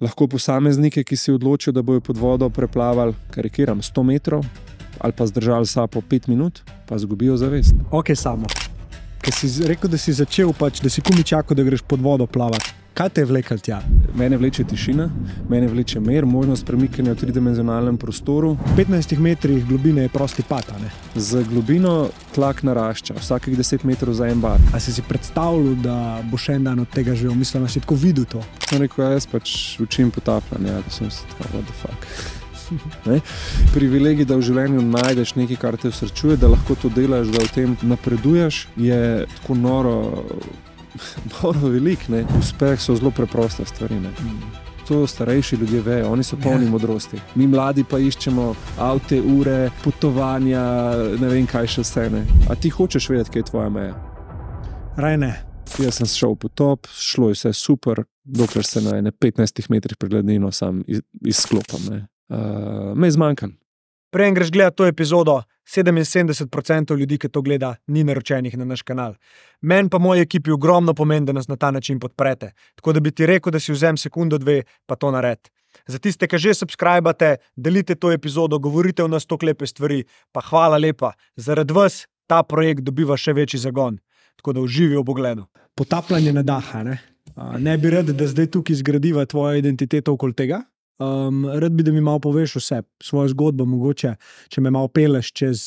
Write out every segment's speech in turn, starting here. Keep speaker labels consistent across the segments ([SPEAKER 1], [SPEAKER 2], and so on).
[SPEAKER 1] lahko posameznike, ki si odločijo, da bojo pod vodo preplavali, karikiram, 100 metrov ali pa zdržali sapo 5 minut, pa zgubijo zavest.
[SPEAKER 2] Ok, Samo. Ker si rekel, da si začel, da si komi čakal, da greš pod vodo plavati. Kaj te je vlekel tja?
[SPEAKER 1] Mene vleče tišina, mene vleče mir, možnost premikanja v tridimenzionalnem prostoru.
[SPEAKER 2] V 15 metrih globine je prosti pad, a ne?
[SPEAKER 1] Z globino tlak narašča, vsakih 10 metrov za en bar.
[SPEAKER 2] A si predstavljal, da boš en dan od tega živel? Mislim, da si tako videl to.
[SPEAKER 1] Sem rekel, jaz učim potapljanje, da sem se tako, what the fuck. Ne? Privilegij, da v življenju najdeš nekaj, kar te usrečuje, da lahko to delaš, da v tem napreduješ, je tako noro velik. Ne? Uspeh so zelo preproste stvari. Ne? To starejši ljudje vejo, oni so polni modrosti. Mi mladi pa iščemo avte, ure, potovanja, ne vem kaj še vse. Ne? A ti hočeš vedeti, kaj je tvoja meja?
[SPEAKER 2] Raj ne.
[SPEAKER 1] Jaz sem šel v potop, šlo je vse super, dokler se na 15 metrih pred gladino sam izklopam. Me je zmanjkalo.
[SPEAKER 2] Preden greš gledati to epizodo, 77% ljudi, ki to gleda, ni naročenih na naš kanal. Meni pa moji ekipi ogromno pomeni, da nas na ta način podprete. Tako da bi ti rekel, da si vzem sekundo, dve, pa to naredi. Za tiste, ki že subscribate, delite to epizodo, govorite v nas toliko lepe stvari, pa hvala lepa. Zaradi vas ta projekt dobiva še večji zagon. Tako da uživi v pogledu. Potapljanje na daha, ne? Ne bi rad, da zdaj tukaj zgradiva tvojo identiteto okoli tega. Rad bi, da mi malo poveš vse, svojo zgodbo, mogoče, če me malo peleš čez,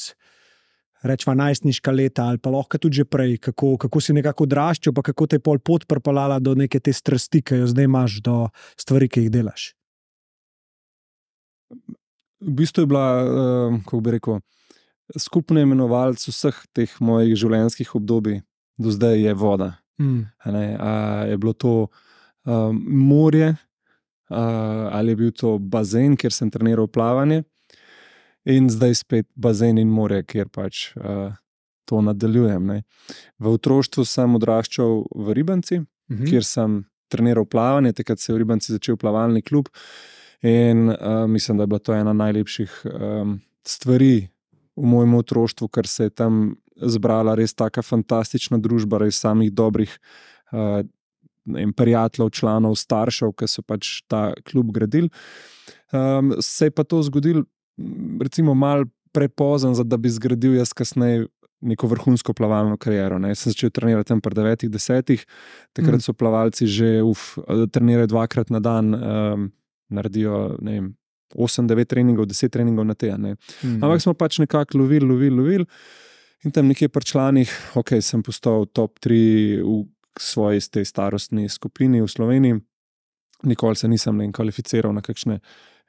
[SPEAKER 2] rečva, najstniška leta ali pa lahko tudi že prej, kako si nekako odraščal, pa kako te je pol pot pripeljala do neke te strasti, ki jo zdaj imaš, do stvari, ki jih delaš.
[SPEAKER 1] V bistvu je bila, kako bi rekel, skupni imenovalec vseh teh mojih življenjskih obdobij do zdaj je voda. Je bilo to morje, ali je bil to bazen, kjer sem treniral plavanje, in zdaj spet bazen in morje, kjer pač to nadaljujem. Ne. V otroštvu sem odraščal v Ribanci, kjer sem treniral plavanje, takrat se je v Ribanci začel plavalni klub in mislim, da je bila to ena najlepših stvari v mojem otroštvu, ker se je tam zbrala res taka fantastična družba, res samih dobrih prijateljev, članov, staršev, ki so pač ta klub gradili. Se je pa to zgodilo recimo malo prepozen, da bi zgradil jaz kasneje neko vrhunsko plavalno kariero. Ne. Jaz sem začel trenirati tam pri 9-10, takrat so plavalci že trenirajo 2-krat na dan, naredijo 8-9 treningov, 10 treningov na teden. Ampak smo pač nekako lovili in tam nekje pri članih, sem postal top 3 v svoji tej starostni skupini v Sloveniji. Nikoli se nisem kvalificiral na kakšne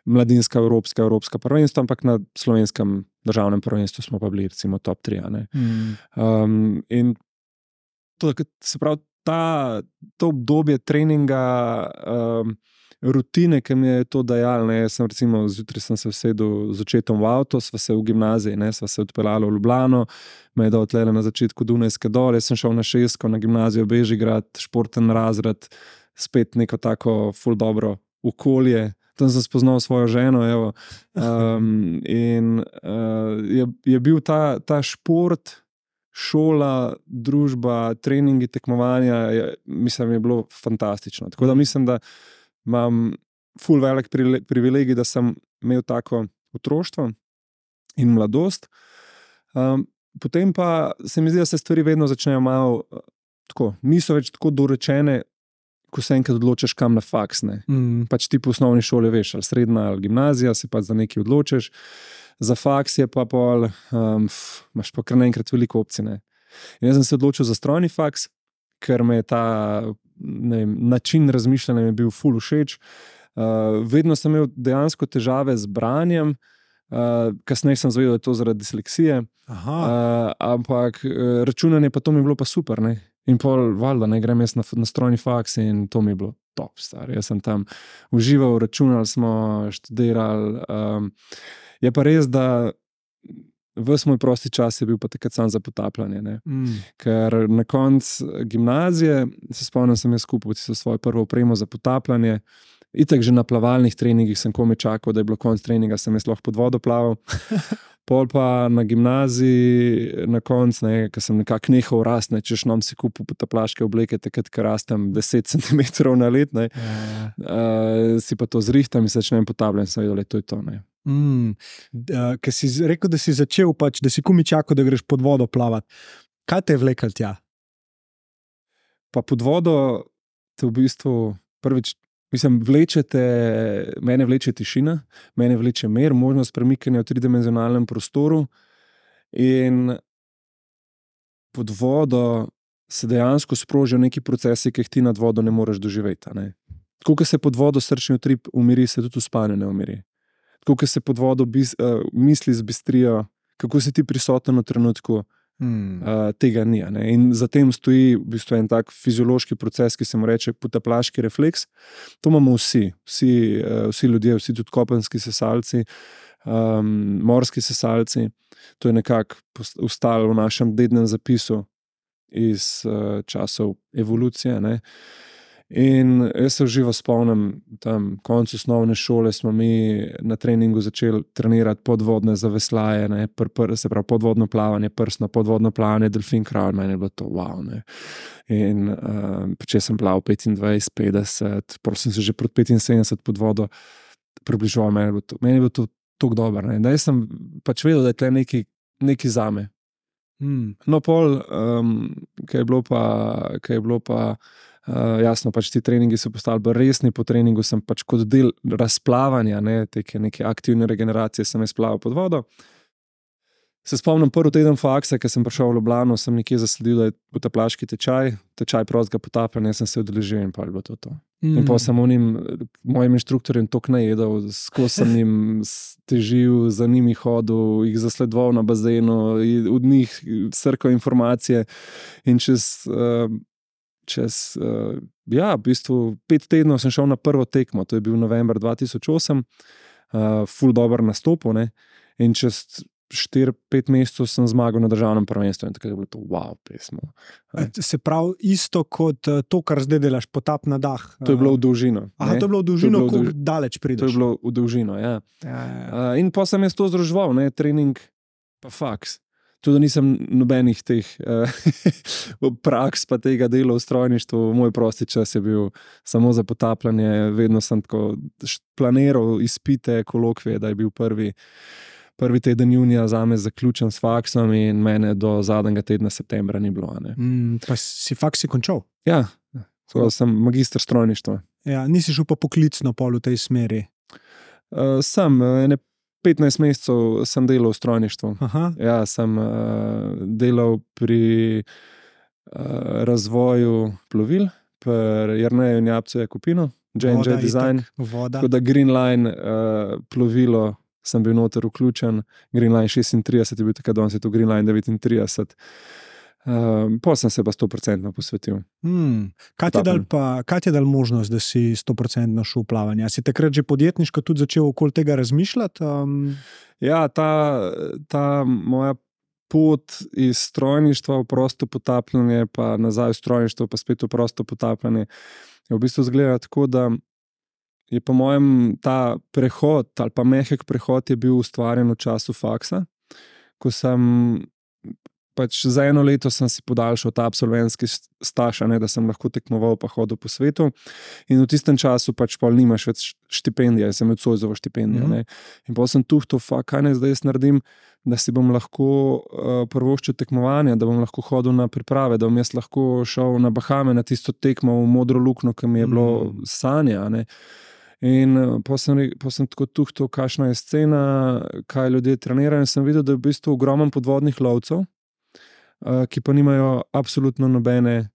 [SPEAKER 1] mladinska evropska prvenstva, ampak na slovenskem državnem prvenstvu smo pa bili recimo top 3. In to, se pravi, to obdobje treninga, rutine, ki mi je to dajalo. Jaz sem recimo zjutraj sem se usedel z očetom v avto, sva se v gimnaziji, sva se odpeljala v Ljubljano, me je dal tlele na začetku Dunajske dol, jaz sem šel na Šesko, na gimnazijo Bežigrad, športen razred, spet neko tako ful dobro okolje. Tam sem spoznal svojo ženo, evo. Je bil ta šport, šola, družba, treningi, tekmovanja, mislim, je bilo fantastično. Tako da mislim, da imam ful velik privilegij, da sem imel tako otroštvo in mladost. Potem pa se mi zdi, da se stvari vedno začnejo malo tako, niso več tako dorečene, ko se enkrat odločiš, kam na faks. Pač ti po osnovni šoli veš, ali srednja ali gimnazija, se pač za nekaj odločiš. Za faks je pa pol, imaš pa kar naenkrat veliko opcij. In jaz sem se odločil za strojni faks, ker me je ta način razmišljanja je bil ful všeč. Vedno sem imel dejansko težave z branjem, kasneje sem zvedel, da je to zaradi disleksije, ampak računanje pa to mi je bilo pa super. In pol valjda, grem jaz na strojni faks in to mi je bilo top, star. Jaz sem tam užival, računali smo, študirali. Je pa res, da ves moj prosti čas je bil pa takrat sam za potapljanje. Ker na koncu gimnazije, se spomnim, sem jaz kupil svojo prvo opremo za potapljanje, Itak že na plavalnih treningih sem komaj čakal, da je bilo konc treninga, sem jaz lahko pod vodo plaval. Pol pa na gimnaziji, na koncu, ko sem nekako nehal rasti, češ nam si kupil potaplaške obleke, takrat, ker rastem 10 cm na let, si pa to zrihtam in se začnem potapljati, sem vedel, da to je to.
[SPEAKER 2] Ker si rekel, da si začel, da si komaj čakal, da greš pod vodo plavati. Kaj te je vlekel tja?
[SPEAKER 1] Pa pod vodo te v bistvu prvič, mene vleče tišina, mene vleče mir, možnost premikanja v tridimenzionalnem prostoru in pod vodo se dejansko sprožijo neki procesi, ki jih ti nad vodo ne moreš doživeti. Tako, ko se pod vodo srčni utrip umiri, se tudi v spanju ne umiri. Tako, ko se pod vodo misli zbistrijo, kako si ti prisoten v trenutku, tega ni. In za tem stoji v bistvu en tak fiziološki proces, ki se mu reče potaplaški refleks. To imamo vsi ljudje, vsi tudi kopenski sesalci, morski sesalci. To je nekako ostalo v našem dednem zapisu iz časov evolucije. In jaz se živo spomnim, tam konec osnovne šole smo mi na treningu začeli trenirati podvodne zaveslaje, se pravi podvodno plavanje, prsno podvodno plavanje, delfin crawl, meni je bilo to wow. In če sem plaval 25, 50, prosim se že proti 75 pod vodo približoval, meni je bilo to tako dobro. Da jaz sem pač vedel, da je tle neki zame. No pol, kaj je bilo pa jasno, pač ti treningi so postali bolj resni, po treningu sem pač kot del razplavanja, neke aktivne regeneracije sem izplaval pod vodo. Se spomnim prvi teden faksa, ko sem prišel v Ljubljano, sem nekje zasledil, da je potaplaški tečaj prostega potapljanja, sem se udeležil in pa je bilo to. In pa sem mojim inštruktorjem toliko najedel, skozi sem jim težil, za njimi hodil, jih zasledoval na bazenu, od njih srkal informacije in v bistvu 5 tednov sem šel na prvo tekmo, to je bil november 2008, ful dober nastop, in čez 4-5 mesecev sem zmagal na državnem prvenstvu in tako je bilo to wow pesmo.
[SPEAKER 2] Se pravi isto kot to, kar zdaj delaš, potap na dah.
[SPEAKER 1] To je bilo v dolžino.
[SPEAKER 2] Aha, to je bilo v dolžino, koliko daleč prideš.
[SPEAKER 1] To je bilo v dolžino, ja. In pa sem jaz to združeval, trening pa faks. Tudi nisem nobenih teh praks pa tega dela v strojništvu, moj prosti čas je bil samo za potapljanje, vedno sem tako planiral izpite, kolokvije, da je bil prvi teden junija zame zaključen s faksom in mene do zadnjega tedna septembra ni bilo.
[SPEAKER 2] Pa si faksi končal?
[SPEAKER 1] Ja, sem magister strojništva.
[SPEAKER 2] Ja, nisi šel pa poklicno pol v tej smeri?
[SPEAKER 1] Sem, 15 mesecev sem delal v strojništvu. Ja, sem delal pri razvoju plovil, pri Jerneju in Japcu Jakupinu, J&J Design. Tako da Green Line plovilo sem bil noter vključen, Green Line 36 je bil takrat, danes je to Green Line 39. Potem sem se pa 100% posvetil.
[SPEAKER 2] Kaj ti je dal možnost, da si 100% šel v plavanje? Si takrat že podjetniško tudi začel okoli tega razmišljati?
[SPEAKER 1] Ja, ta moja pot iz strojništva v prosto potapljanje, pa nazaj v strojništvo, pa spet v prosto potapljanje, je v bistvu izgledalo tako, da je po mojem ta prehod ali pa mehek prehod je bil ustvarjen v času faksa, ko sem pač za 1 leto sem si podaljšal ta absolventski staž, da sem lahko tekmoval pa hodil po svetu in v tistem času pač pol nimaš več štipendije, sem imel Zoisovo štipendijo. In potem sem tuhtal, kaj naj zdaj jaz naredim, da si bom lahko prvoščil tekmovanja, da bom lahko hodil na priprave, da bom jaz lahko šel na Bahame na tisto tekmo v modro luknjo, ki mi je bilo sanja. In potem sem tako tuhtal, kakšna je scena, kaj ljudje trenirajo in sem videl, da je v bistvu ogromno podvodnih lovcev, ki pa nimajo absolutno nobene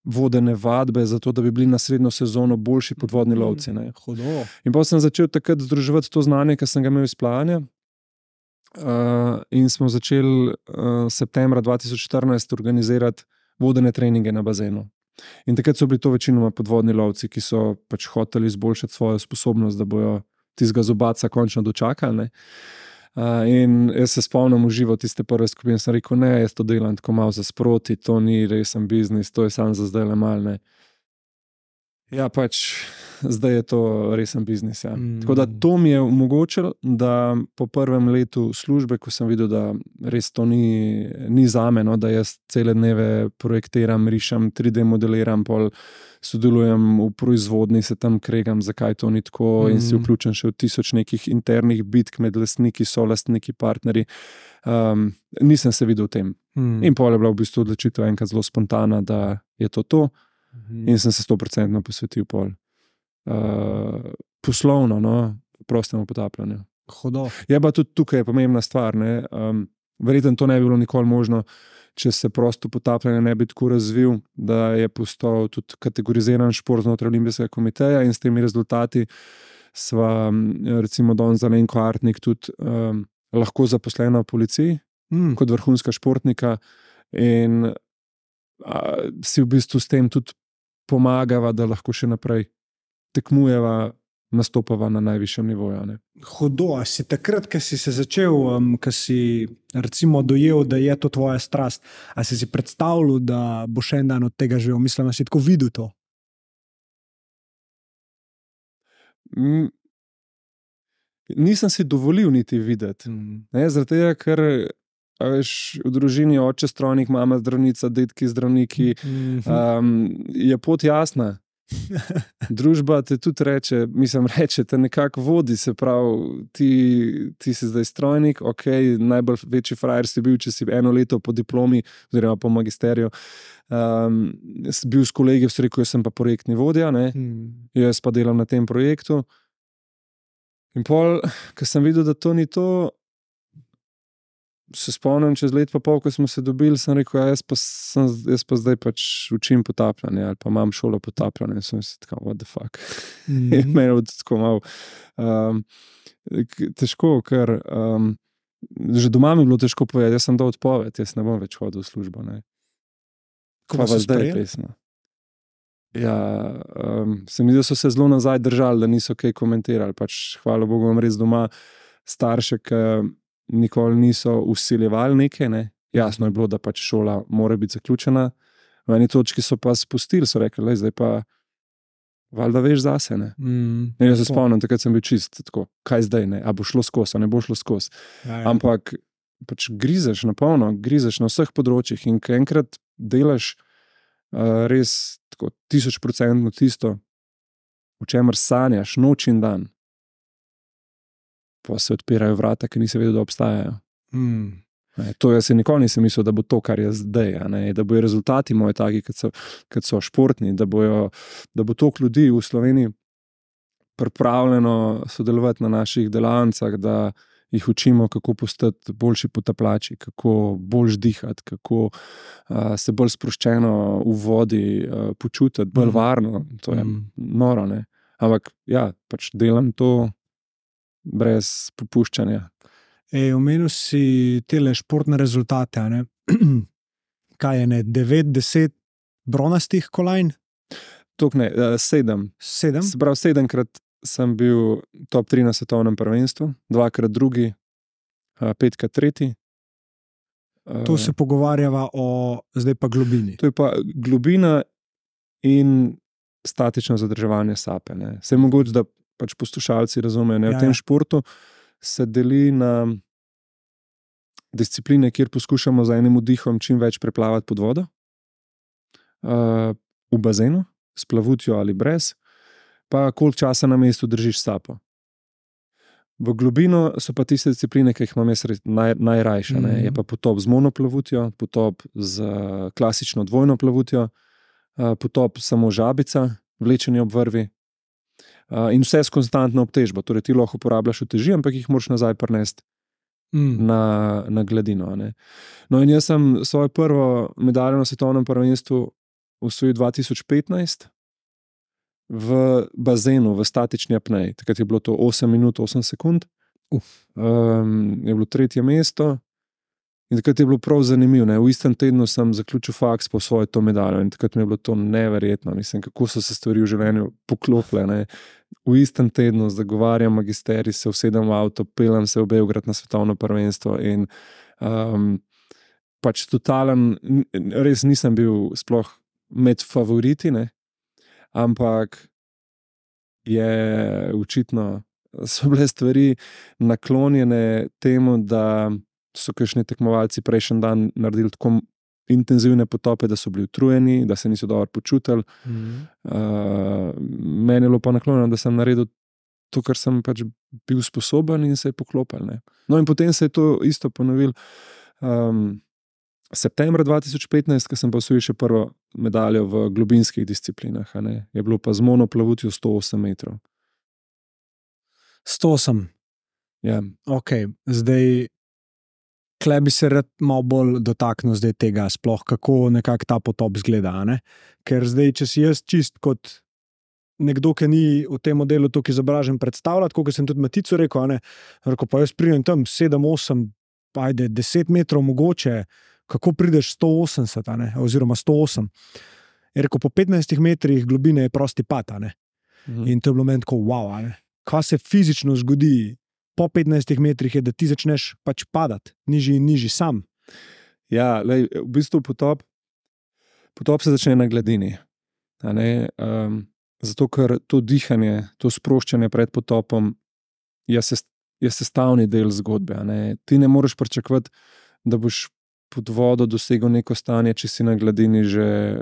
[SPEAKER 1] vodene vadbe za to, da bi bili na srednjo sezono boljši podvodni lovci. In potem sem začel takrat združevati to znanje, ki sem ga imel iz plavanja. In smo začeli septembra 2014 organizirati vodene treninge na bazenu. In takrat so bili to večinoma podvodni lovci, ki so pač hoteli izboljšati svojo sposobnost, da bojo tistega zobaca končno dočakali. In jaz se spomnim v živo tiste prve skupine, sem rekel, ne, jaz to delam tako malo za sproti, to ni resen biznis, to je samo za zdaj le mal. Ja, pač zdaj je to resen biznis. Ja. Tako da to mi je omogočilo, da po prvem letu službe, ko sem videl, da res to ni zame, no, da jaz cele dneve projektiram, rišem, 3D modeliram, pol sodelujem v proizvodni, se tam kregam, zakaj to ni tako in si vključen še v 1000 nekih internih bitk med lastniki, solastniki, partnerji. Nisem se videl v tem. In pol je bila v bistvu odločitev enkrat zelo spontana, da je to. In sem se 100% posvetil pol poslovno, no, prostemu potapljanju.
[SPEAKER 2] Hudo.
[SPEAKER 1] Je pa tudi tukaj pomembna stvar, ne. Verjetno to ne bi bilo nikoli možno, če se prosto potapljanje ne bi tako razvil, da je postal tudi kategoriziran šport znotraj Olimpijskega komiteja in s temi rezultati sva recimo danes za Alenko Artnik tudi lahko zaposlena v policiji kot vrhunska športnika in si v bistvu s tem tudi pomagava, da lahko še naprej tekmujeva, nastopava na najvišjem nivoju. Ne?
[SPEAKER 2] Hudo, a si takrat, ko si se začel, ko si recimo dojel, da je to tvoja strast, a si predstavljal, da bo še en dan od tega živel? Mislim, da si tako videl to?
[SPEAKER 1] Nisem si dovolil niti videti. Zaradi tega, ker veš, v družini oče strojnik, mama zdravnica, dedki zdravniki, je pot jasna. Družba te tudi reče, te nekako vodi, se pravi, ti si zdaj strojnik, ok, najbolj večji frajer si bil, če si 1 leto po diplomi, oziroma po magisteriju, bil s kolegi, v rekel, jaz sem pa projektni vodja, ne? Jaz pa delam na tem projektu. In pol, ko sem videl, da to ni to, se spomnim, čez let pa pol, ko smo se dobili, sem rekel, jaz pa zdaj pač učim potapljanje ali pa imam šolo potapljanje. In sem si tako, what the fuck. In meni je tako malo težko, ker že doma mi je bilo težko povedati, jaz sem dal odpoved, jaz ne bom več hodil v službo. Ne.
[SPEAKER 2] Ko pa zdaj je
[SPEAKER 1] pesno. Ja, se mi zdi, da so se zelo nazaj držali, da niso kaj komentirali. Pač, hvala Bogu, imam res doma starše, ki nikoli niso vsiljevali nekaj. Ne. Jasno je bilo, da pač šola mora biti zaključena. V eni točki so pa spustili, so rekli, zdaj pa valjda veš zase. Ne. In jaz se spomnim, takrat sem bil čist tako, kaj zdaj, ne? A bo šlo skozi, a ne bo šlo skozi. Ampak pač grizeš na polno, grizeš na vseh področjih in ko enkrat delaš res tako 1000% tisto, o čemer sanjaš noč in dan, pa se odpirajo vrata, ki nisi vedel, da obstajajo. To jaz nikoli nisem mislil, da bo to, kar je zdaj, da bojo rezultati moji taki, kot so športni, da bo toliko ljudi v Sloveniji pripravljeno sodelovati na naših delavnicah, da jih učimo, kako postati boljši potapljači, kako bolj dihati, kako se bolj sproščeno v vodi počutiti, bolj varno. To je noro, ne? Ampak ja, pač delam to brez popuščanja.
[SPEAKER 2] Omenil si tele športne rezultate, ne? Kaj je, 9-10 bronastih kolajn?
[SPEAKER 1] Tok ne, 7.
[SPEAKER 2] 7?
[SPEAKER 1] Se pravi, 7-krat sem bil top 3 na svetovnem prvenstvu, 2-krat drugi, 5-krat tretji.
[SPEAKER 2] Tu se pogovarjava o zdaj pa globini.
[SPEAKER 1] To je pa globina in statično zadrževanje sape. Ne. Se je mogoče, da pač poslušalci razumejo, ne. V tem športu se deli na discipline, kjer poskušamo z enim vdihom čim več preplavati pod vodo, v bazenu, s plavutjo ali brez, pa koliko časa na mestu držiš sapo. V globino so pa tiste discipline, ki jih imam jaz najrajše. Je pa potop z monoplavutjo, potop z klasično dvojno plavutjo, potop samo žabica, vlečenje ob vrvi in vse s konstantno obtežbo. Torej ti lahko uporabljaš uteži, ampak jih moraš nazaj prinesti na gladino. Ne. No in jaz sem svojo prvo medaljo na svetovnem prvenstvu osvojil 2015 v bazenu, v statični apneji. Takrat je bilo to 8 minut, 8 sekund. Je bilo 3. mesto in takrat je bilo prav zanimivo. Ne. V istem tednu sem zaključil faks po svojo to medaljo in takrat mi je bilo to neverjetno. Mislim, kako so se stvari v življenju poklopile. Ne. V istem tednu zagovarjam magisterij, se usedem v avto, peljem se v Beograd na svetovno prvenstvo in pač totalen, res nisem bil sploh med favoriti, ne. ampak je očitno, so bile stvari naklonjene temu, da so kakšni tekmovalci prejšnji dan naredili tako intenzivne potope, da so bili utrujeni, da se niso dobro počutili. Meni je bilo pa naklonjeno, da sem naredil to, kar sem pač bil sposoben in se je poklopil. Ne. No in potem se je to isto ponovil. Septembra 2015, ko sem pa osvojil še prvo medaljo v globinskih disciplinah, je bilo pa z monoplavutjo 108 metrov.
[SPEAKER 2] 108.
[SPEAKER 1] Ja.
[SPEAKER 2] Ok, zdaj, kle bi se rad malo bolj dotaknil zdaj tega sploh, kako nekako ta potop zgleda, ne? Ker zdaj, če si jaz čist kot nekdo, ki ni v tem modelu toliko izobražen predstavljati, kot sem tudi Maticu rekel, rekel, pa jaz pridem tam 7, 8, ajde 10 metrov mogoče, kako prideš 180, oziroma 108. Je rekel, po 15 metrih globine je prosti pad, In to je bilo meni tako, wow, kaj se fizično zgodi po 15 metrih je, da ti začneš pač padati, nižji in nižji sam.
[SPEAKER 1] Ja, lej, v bistvu potop se začne na gladini. Zato, ker to dihanje, to sproščanje pred potopom je sestavni del zgodbe. Ti ne moreš pričakovati, da boš pod vodo dosegel neko stanje, če si na gladini že,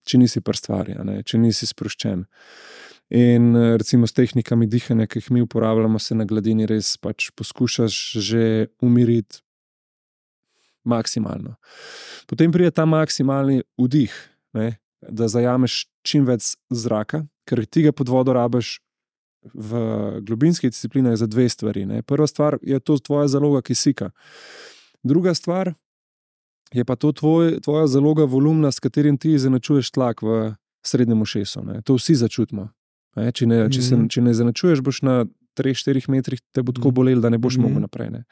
[SPEAKER 1] če nisi pri stvari, če nisi sproščen. In recimo s tehnikami dihanja, ki jih mi uporabljamo, se na gladini res pač poskušaš že umiriti maksimalno. Potem pride ta maksimalni vdih, da zajameš čim več zraka, ker ti ga pod vodo rabiš v globinskih disciplinah za dve stvari. Prva stvar je to tvoja zaloga kisika. Druga stvar je pa to tvoja zaloga volumna, s katerim ti izenačuješ tlak v srednjem ušesu. To vsi začutimo. Če ne izenačuješ, boš na 3-4 metrih te bo tako bolelo, da ne boš mogel naprej.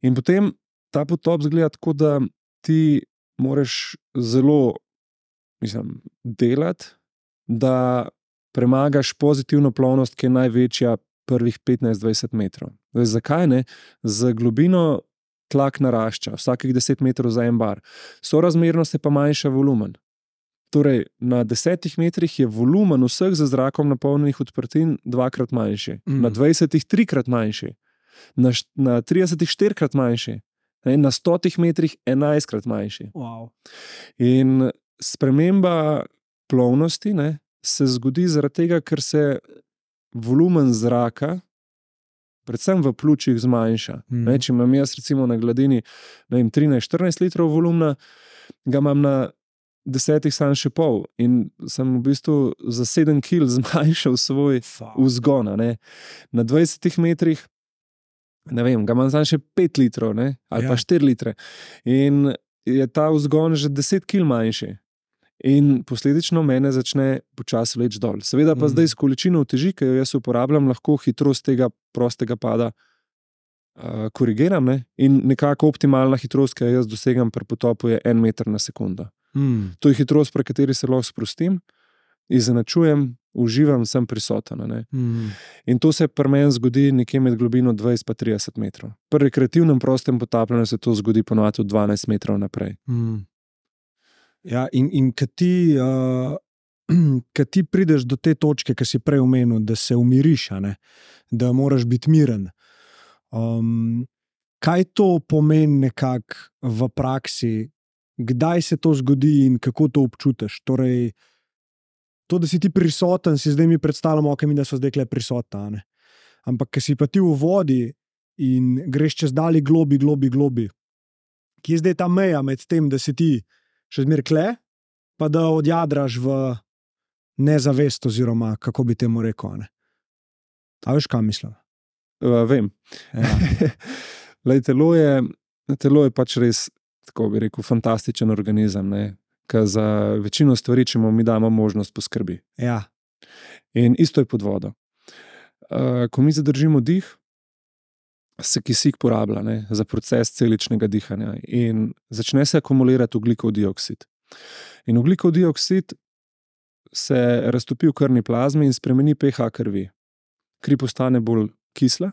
[SPEAKER 1] In potem ta potop zgleda tako, da ti moraš zelo delati, da premagaš pozitivno plovnost, ki je največja prvih 15-20 metrov. Zdaj, zakaj ne? Z globino tlak narašča, vsakih 10 metrov za en bar. Sorazmerno se pa manjša volumen. Torej, na 10 metrih je volumen vseh z zrakom napolnjenih odprtin 2-krat manjši, na 20 3-krat manjši, na 30 4-krat manjši, na 100 metrih 11-krat manjši.
[SPEAKER 2] Wow.
[SPEAKER 1] In sprememba plovnosti se zgodi zaradi tega, ker se volumen zraka predvsem v pljučih zmanjša. Če imam jaz recimo na gladini 13-14 litrov volumna, ga imam na 10 sam še pol in sem v bistvu za 7 kil zmanjšal svoj vzgon. Na 20 metrih ga imam sam še 5 litrov ali pa 4 litre in je ta vzgon že 10 kil manjši. In posledično mene začne počasi vleči dol. Seveda pa zdaj s količino uteži, ki jo jaz uporabljam, lahko hitrost tega prostega pada korigiram in nekako optimalna hitrost, ki jo jaz dosegam pri potopu, je 1 meter na sekundo. To je hitrost, pri kateri se lahko sprostim, izenačujem, uživam, sem prisoten. In to se pri meni zgodi nekje med globino 20-30 metrov. Pri rekreativnem prostem potapljanju se to zgodi ponovadi 12 metrov naprej.
[SPEAKER 2] Ja, in kad ti prideš do te točke, ki si prej omenil, da se umiriš, da moraš biti miren. Kaj to pomeni nekako v praksi? Kdaj se to zgodi in kako to občutiš? Torej, to, da si ti prisoten, si zdaj mi predstavljamo, da so zdaj kle prisotna. Ampak, ko si pa ti v vodi in greš čez dali globi, ki je zdaj ta meja med tem, da si ti še zmer kle, pa da odjadraš v nezavest, oziroma kako bi temu rekel. A veš, kaj mislim?
[SPEAKER 1] Vem.
[SPEAKER 2] Ja.
[SPEAKER 1] Lej, telo je pač res, tako bi rekel, fantastičen organizem, ki za večino stvari, če mu mi damo možnost, poskrbi.
[SPEAKER 2] Ja.
[SPEAKER 1] In isto je pod vodo. Ko mi zadržimo dih, se kisik porablja za proces celičnega dihanja in začne se akumulirati ogljikov dioksid. In ogljikov dioksid se raztopi v krvni plazmi in spremeni pH krvi. Kri postane bolj kisla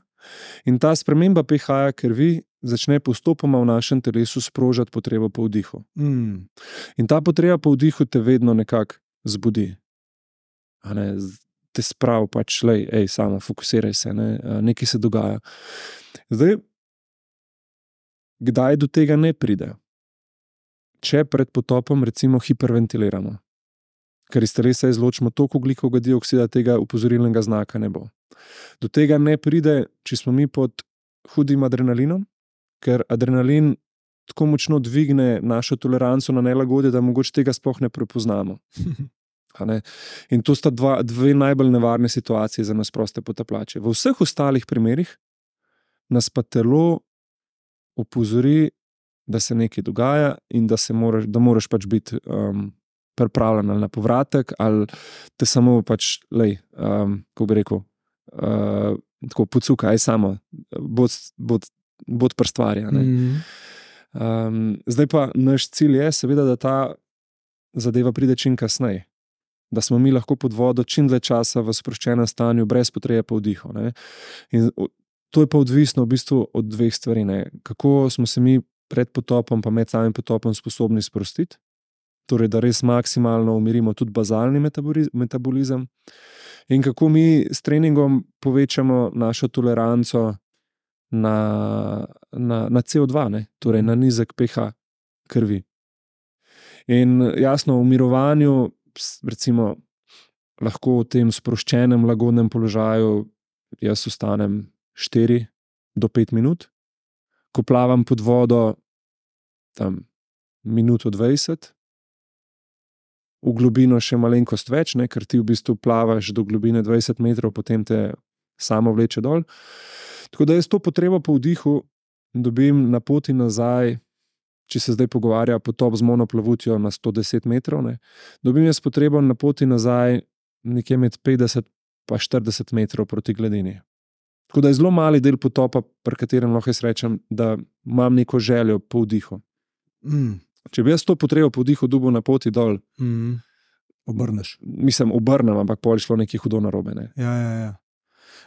[SPEAKER 1] in ta sprememba pH krvi začne postopoma v našem telesu sprožati potrebo po vdihu. In ta potreba po vdihu te vedno nekako zbudi. te sprav pač, samo fokusiraj se, nekaj se dogaja. Zdaj, kdaj do tega ne pride? Če pred potopom recimo hiperventiliramo, ker iz telesa izločimo toliko ogljikovega dioksida, tega opozorilnega znaka ne bo. Do tega ne pride, če smo mi pod hudim adrenalinom, ker adrenalin tako močno dvigne našo toleranco na nelagodje, da mogoče tega sploh ne prepoznamo. In to sta dve najbolj nevarne situacije za nas proste potapljače. V vseh ostalih primerih nas pa telo opozori, da se nekaj dogaja in da moraš pač biti pripravljen ali na povratek, ali te samo pač, kako bi rekel, tako pocuka, samo, bod prstvarja. Zdaj pa naš cilj je seveda, da ta zadeva pride čim kasneje. Da smo mi lahko pod vodo čim dlje časa v sproščenem stanju, brez potrebe po vdihu. In to je pa odvisno v bistvu od dveh stvari. Kako smo se mi pred potopom pa med samim potopom sposobni sprostiti, torej da res maksimalno umirimo tudi bazalni metabolizem, in kako mi s treningom povečamo našo toleranco na CO2, torej na nizek pH krvi. In jasno, v mirovanju recimo lahko v tem sproščenem, lagodnem položaju jaz ostanem 4 do 5 minut, ko plavam pod vodo tam minuto 20, v globino še malenkost več, ker ti v bistvu plavaš do globine 20 metrov, potem te samo vleče dol. Tako da jaz to potrebo po vdihu dobim na poti nazaj, če se zdaj pogovarja potop z monoplavutjo na 110 metrov, dobim jaz potrebo na poti nazaj nekje med 50 pa 40 metrov proti gladini. Tako da je zelo mali del potopa, pri katerem lahko jaz rečem, da imam neko željo po vdihu. Če bi jaz to potrebo po vdihu dobil na poti dol,
[SPEAKER 2] obrneš.
[SPEAKER 1] Obrnem, ampak pol šlo nekaj hudo narobe.
[SPEAKER 2] Ja.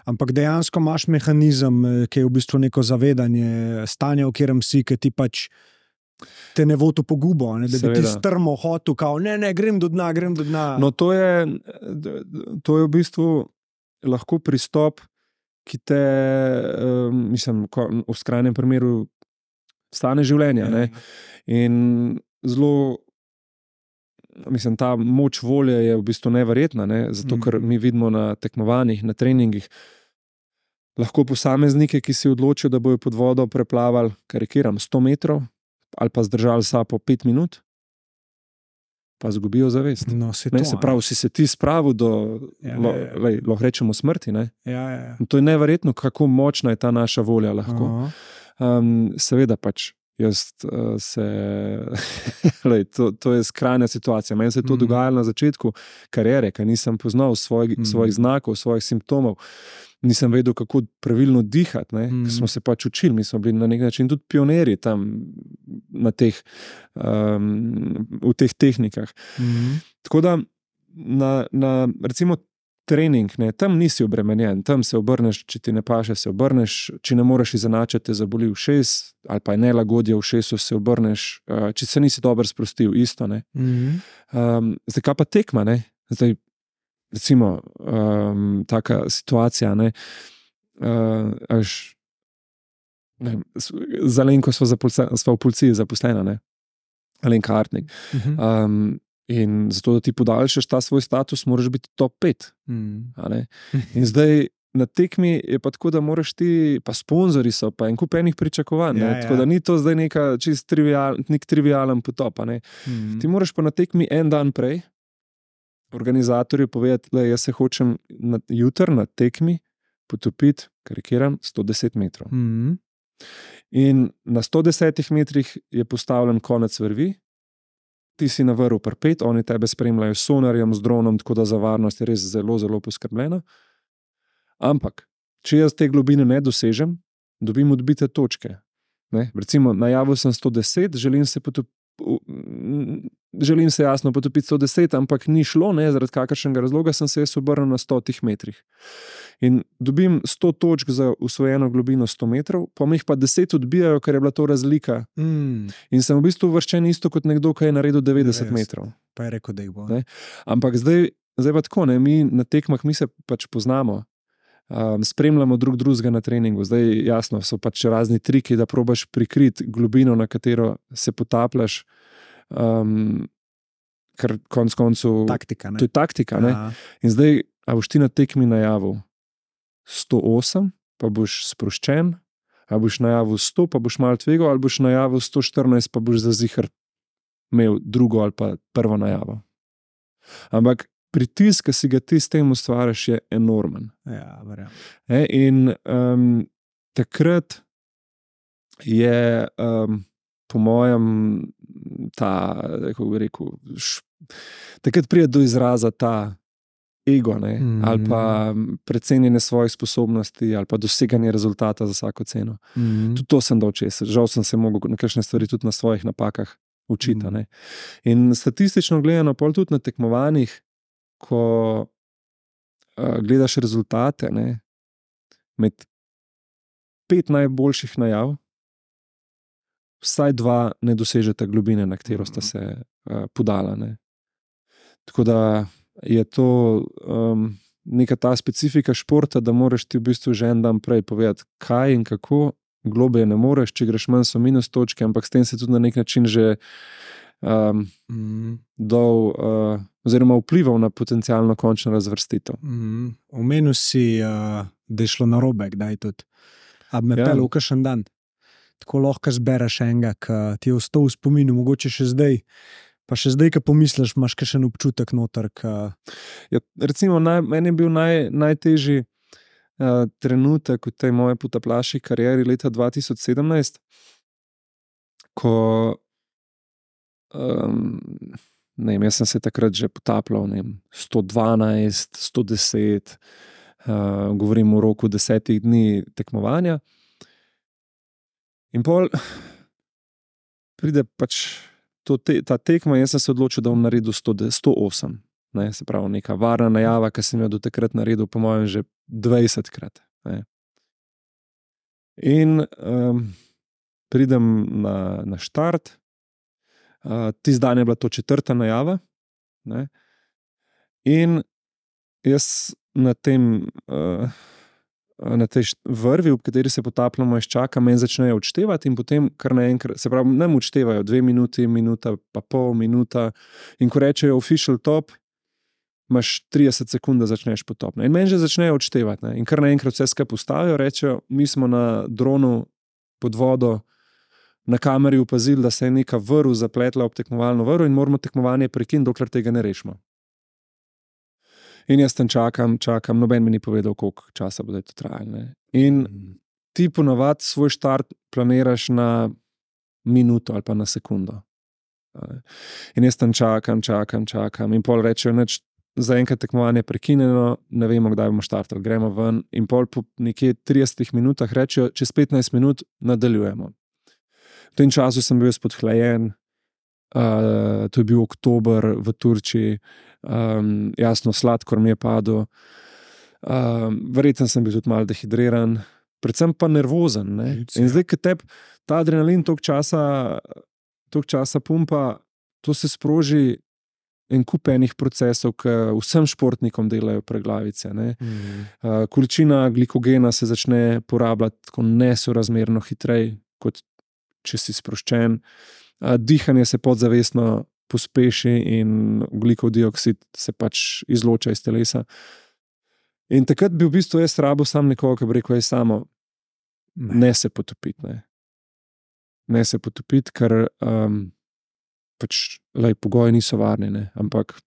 [SPEAKER 2] Ampak dejansko imaš mehanizem, ki je v bistvu neko zavedanje stanja, v katerem si, ki ti pač te ne vodi v pogubo, da bi ti strmo hotel, kao, ne, grem do dna.
[SPEAKER 1] No, to je v bistvu lahko pristop, ki te, v skrajnem primeru stane življenja. In zelo, ta moč volje je v bistvu neverjetna, zato ker mi vidimo na tekmovanjih, na treningih, lahko posameznike, ki si odločijo, da bojo pod vodo preplavali, karikiram, 100 metrov, ali pa zdržali sapo 5 minut, pa zgubijo zavest.
[SPEAKER 2] No,
[SPEAKER 1] se pravi, si se ti spravil do, lahko rečemo, smrti. To je neverjetno, kako močna je ta naša volja lahko. Seveda pač, to je skrajna situacija. Meni se je to dogajalo na začetku kariere, ker nisem poznal svojih znakov, svojih simptomov. Nisem vedel, kako pravilno dihati, ker smo se pač učili, mi smo bili na nek način tudi pionirji tam v teh tehnikah. Tako da na recimo trening, tam nisi obremenjen, tam se obrneš, če ti ne paše, se obrneš, če ne moreš izenačiti, te zaboli ušes, ali pa je nelagodje v ušesu, se obrneš, če se nisi dobro sprostil, isto. Zdaj, kaj pa tekma, zdaj, recimo, taka situacija, z Alenko sva v policiji zaposlena, Alenka Artnik. In zato, da ti podaljšaš ta svoj status, moraš biti top 5. In zdaj na tekmi je pa tako, da moraš ti, pa sponzorji so, pa en kup enih pričakovanj. Tako da ni to zdaj nek trivialen potop. Ti moraš pa na tekmi en dan prej organizatorju povedati, da jaz se hočem jutri na tekmi potopiti, karikiram, 110 metrov. In na 110 metrih je postavljen konec vrvi, ti si na vrhu pri 5, oni tebe spremljajo s sonarjem, z dronom, tako da za varnost je res zelo, zelo poskrbljena. Ampak, če jaz te globine ne dosežem, dobim odbite točke. Recimo, najavil sem 110, želim se jasno potopiti 110, ampak ni šlo, zaradi kakršnega razloga sem se jaz obrnil na 100 metrih. In dobim 100 točk za usvojeno globino 100 metrov, pa mi jih pa 10 odbijajo, ker je bila to razlika. In sem v bistvu uvrščen isto kot nekdo, ki je naredil 90 metrov.
[SPEAKER 2] Pa je rekel, da jih bo.
[SPEAKER 1] Ampak zdaj zdaj pa tako, ne, mi na tekmah mi se pač poznamo, spremljamo drugega na treningu. Zdaj jasno, so pač razni triki, da probaš prikriti globino, na katero se potapljaš, ker konec koncev
[SPEAKER 3] Taktika, ne?
[SPEAKER 1] to je taktika, ne.
[SPEAKER 3] Ja.
[SPEAKER 1] In zdaj, a boš ti na tekmi najavil 108, pa boš sproščen, a boš najavil 100, pa boš malo tvegal, ali boš najavil 114, pa boš za ziher imel drugo ali pa prvo najavo. Ampak pritisk, ki si ga ti s tem ustvariš, je enormen.
[SPEAKER 3] Ja, verjamem.
[SPEAKER 1] In takrat je po mojem kako bi rekel, takrat pride do izraza ta ego, ne? Ali pa precenjene svojih sposobnosti, ali pa doseganje rezultata za vsako ceno. Tudi to sem dal čez. Žal sem se mogel na kakšne stvari tudi na svojih napakah učiti. Ne? In statistično gledano, pol tudi na tekmovanjih, ko gledaš rezultate, ne, med 5 najboljših najav, vsaj 2 ne dosežeta globine, na katero sta se podala. Ne. Tako da je to neka ta specifika športa, da moraš ti v bistvu že en dan prej povedati, kaj in kako, globlje ne moreš, če greš manj so minus točke, ampak s tem se tudi na nek način že oziroma vplival na potencialno končno razvrstitev.
[SPEAKER 3] Omenil si, da je šlo narobe, kdaj tudi. A bi me pel v kakšen dan? Tako lahko zbereš enega, ki ti je ostal v spominu, mogoče še zdaj. Pa še zdaj, ko pomisliš, imaš kakšen občutek noter.
[SPEAKER 1] Ja, recimo, meni je bil najtežji trenutek v tej moje potapljaški karieri leta 2017, ko ne vem, jaz sem se takrat že potapljal 112, 110, govorim o roku 10 dni tekmovanja. In pol pride pač ta tekma, jaz sem se odločil, da bom naredil 108. Ne, se pravi, neka varna najava, ki sem jo do takrat naredil, po mojem, že 20-krat. Ne. In pridem na štart, tisti dan je bila to 4. najava, ne. In jaz na tej vrvi, v kateri se potapljamo, jaz čakam, meni začnejo odštevati in potem kar naenkrat, se pravi, nam odštevajo 2 minuti, minuta pa pol, minuta, in ko rečejo official top, imaš 30 sekund, da začneš potop. In meni že začnejo odštevati. Ne? In kar naenkrat vse skupaj postavijo, rečejo, mi smo na dronu pod vodo na kameri opazili, da se je neka vrv zapletla ob tekmovalno vrv in moramo tekmovanje prekiniti, dokler tega ne rešimo. In jaz tam čakam, noben mi ni povedal, koliko časa bo to trajalo. In ti ponavadi svoj štart planiraš na minuto ali pa na sekundo. In jaz tam čakam in pol rečejo, neč, zaenkrat tekmovanje je prekinjeno, ne vemo, kdaj bomo štartali, gremo ven. In pol po nekje 30 minutah rečejo, čez 15 minut nadaljujemo. V tem času sem bil podhlajen, to je bil oktober v Turčiji, jasno, sladkor mi je padel, verjetno sem bil tudi malo dehidriran, predvsem pa nervozen. Ne? In zdaj, ko tebi ta adrenalin toliko časa pumpa, to se sproži en kup enih procesov, ki vsem športnikom delajo preglavice. Ne? Količina glikogena se začne porabljati tako nesorazmerno hitreje, kot če si sproščen. Dihanje se podzavestno pospeši in ogljikov dioksid se pač izloča iz telesa. In takrat bi v bistvu jaz rabil sam nekoga, ki bi rekel, samo ne se potopiti. Ne se potopiti, ker pač, pogoji niso varni, ne? Ampak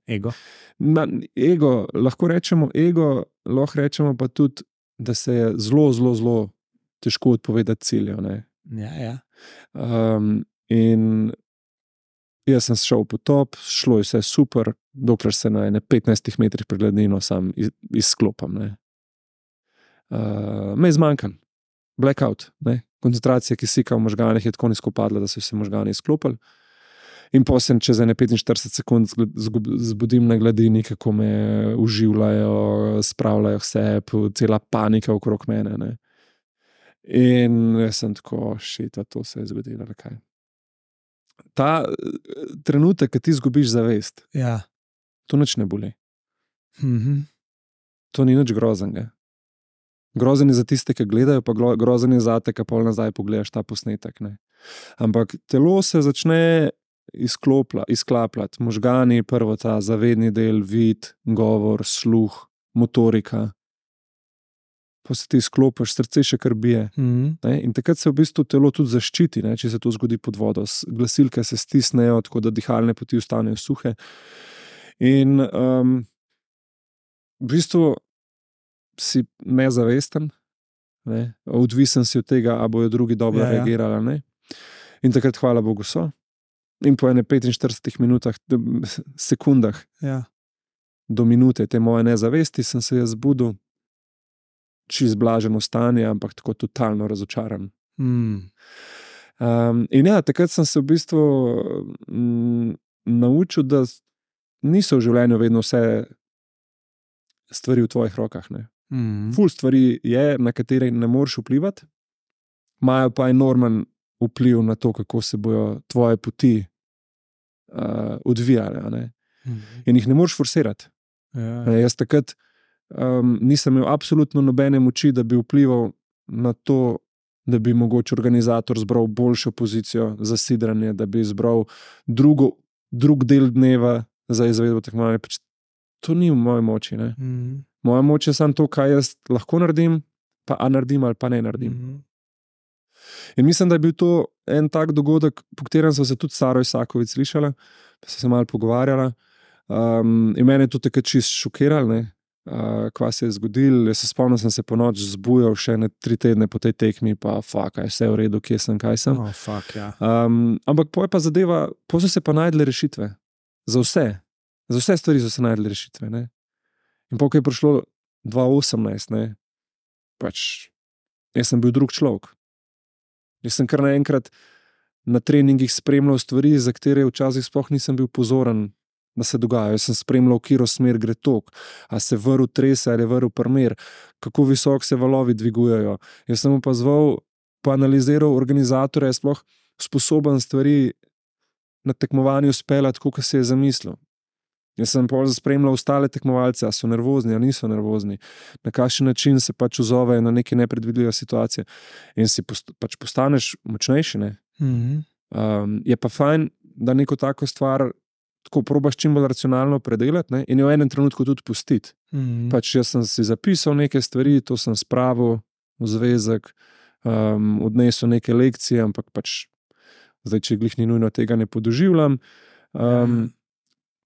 [SPEAKER 3] ego.
[SPEAKER 1] Lahko rečemo pa tudi, da se je zelo težko odpovedati cilju.
[SPEAKER 3] Ja.
[SPEAKER 1] In jaz sem šel v potop, šlo je vse super, dokler se na 15 metrih pred gladino sam izklopam. Me je zmanjkalo. Blackout. Koncentracija kisika v možganih je tako nizko padla, da so se možgani izklopili. In potem čez 45 sekund zbudim na gladini, kako me uživljajo, spravljajo vse, cela panika okrog mene. Ne. In jaz sem tako, to se je zgodilo. Kaj. Ta trenutek, ki ti izgubiš zavest,
[SPEAKER 3] ja.
[SPEAKER 1] to nič ne boli.
[SPEAKER 3] Mhm.
[SPEAKER 1] To ni nič groznega. Grozen je za tiste, ki gledajo, pa grozen je za te, ki pol nazaj pogledaš ta posnetek. Ne. Ampak telo se začne izklapljati. Možgani, prvo ta zavedni del, vid, govor, sluh, motorika. Pa se ti izklopiš, srce še kar bije. Ne. In takrat se v bistvu telo tudi zaščiti, ne, če se to zgodi pod vodo. Glasilke se stisnejo, tako da dihalne poti ostanejo suhe. In v bistvu si nezavesten, ne? Odvisen si od tega, a bojo drugi dobro reagirali, ne? In takrat, hvala Bogu, so. In po 45 minutah, sekundah do minute te moje nezavesti sem se jaz zbudil, čist blaženo stanje, ampak tako totalno razočaran. In ja, takrat sem se v bistvu naučil, da niso v življenju vedno vse stvari v tvojih rokah, ne. Ful stvari je, na katere ne moreš vplivati, imajo pa enormen vpliv na to, kako se bojo tvoje poti odvijale, ne. In jih ne moreš forsirati. Jaz takrat nisem imel absolutno nobene moči, da bi vplival na to, da bi mogoče organizator zbral boljšo pozicijo za sidranje, da bi zbral drug del dneva za izvedbo tekmovanja. Pač to ni v moji moči, ne. Moja moč je samo to, kaj jaz lahko naredim, pa a naredim ali pa ne naredim. In mislim, da je bil to en tak dogodek, po katerem sva se tudi Saro Isaković slišala, pa se malo pogovarjala. In mene je to takrat čist šokiralo, ne, kva se je zgodilo. Jaz se spomnim, sem se po noč zbujal še 3 tedne po tej tekmi, pa je vse v redu, kje sem, kaj sem. Ampak po je pa zadeva, po so se pa najdle rešitve. Za vse stvari so se najdle rešitve, ne. In po, ko je prišlo 2018, ne, pač, jaz sem bil drug človek. Jaz sem kar naenkrat na treningih spremljal stvari, za katere včasih sploh nisem bil pozoren, da se dogajajo. Jaz sem spremljal, kiro smer gre tok, a se vrv trese ali vrv primer, kako visok se valovi dvigujejo. Jaz sem opazoval, pa analiziral organizatorja, je sploh sposoben stvari na tekmovanju speljati, tako, kot se je zamislil. Jaz sem pol spremljal ostale tekmovalce, a so nervozni, a niso nervozni, na kakšen način se pač ozovejo na neke nepredvidljive situacije. In si pač postaneš močnejši, ne. Je pa fajn, da neko tako stvar tako probaš čim bolj racionalno predelati, ne, in jo v enem trenutku tudi pustiti. Pač jaz sem si zapisal neke stvari, to sem spravil v zvezek, odnesel neke lekcije, ampak pač zdaj, če glih ni nujno, tega ne podoživljam.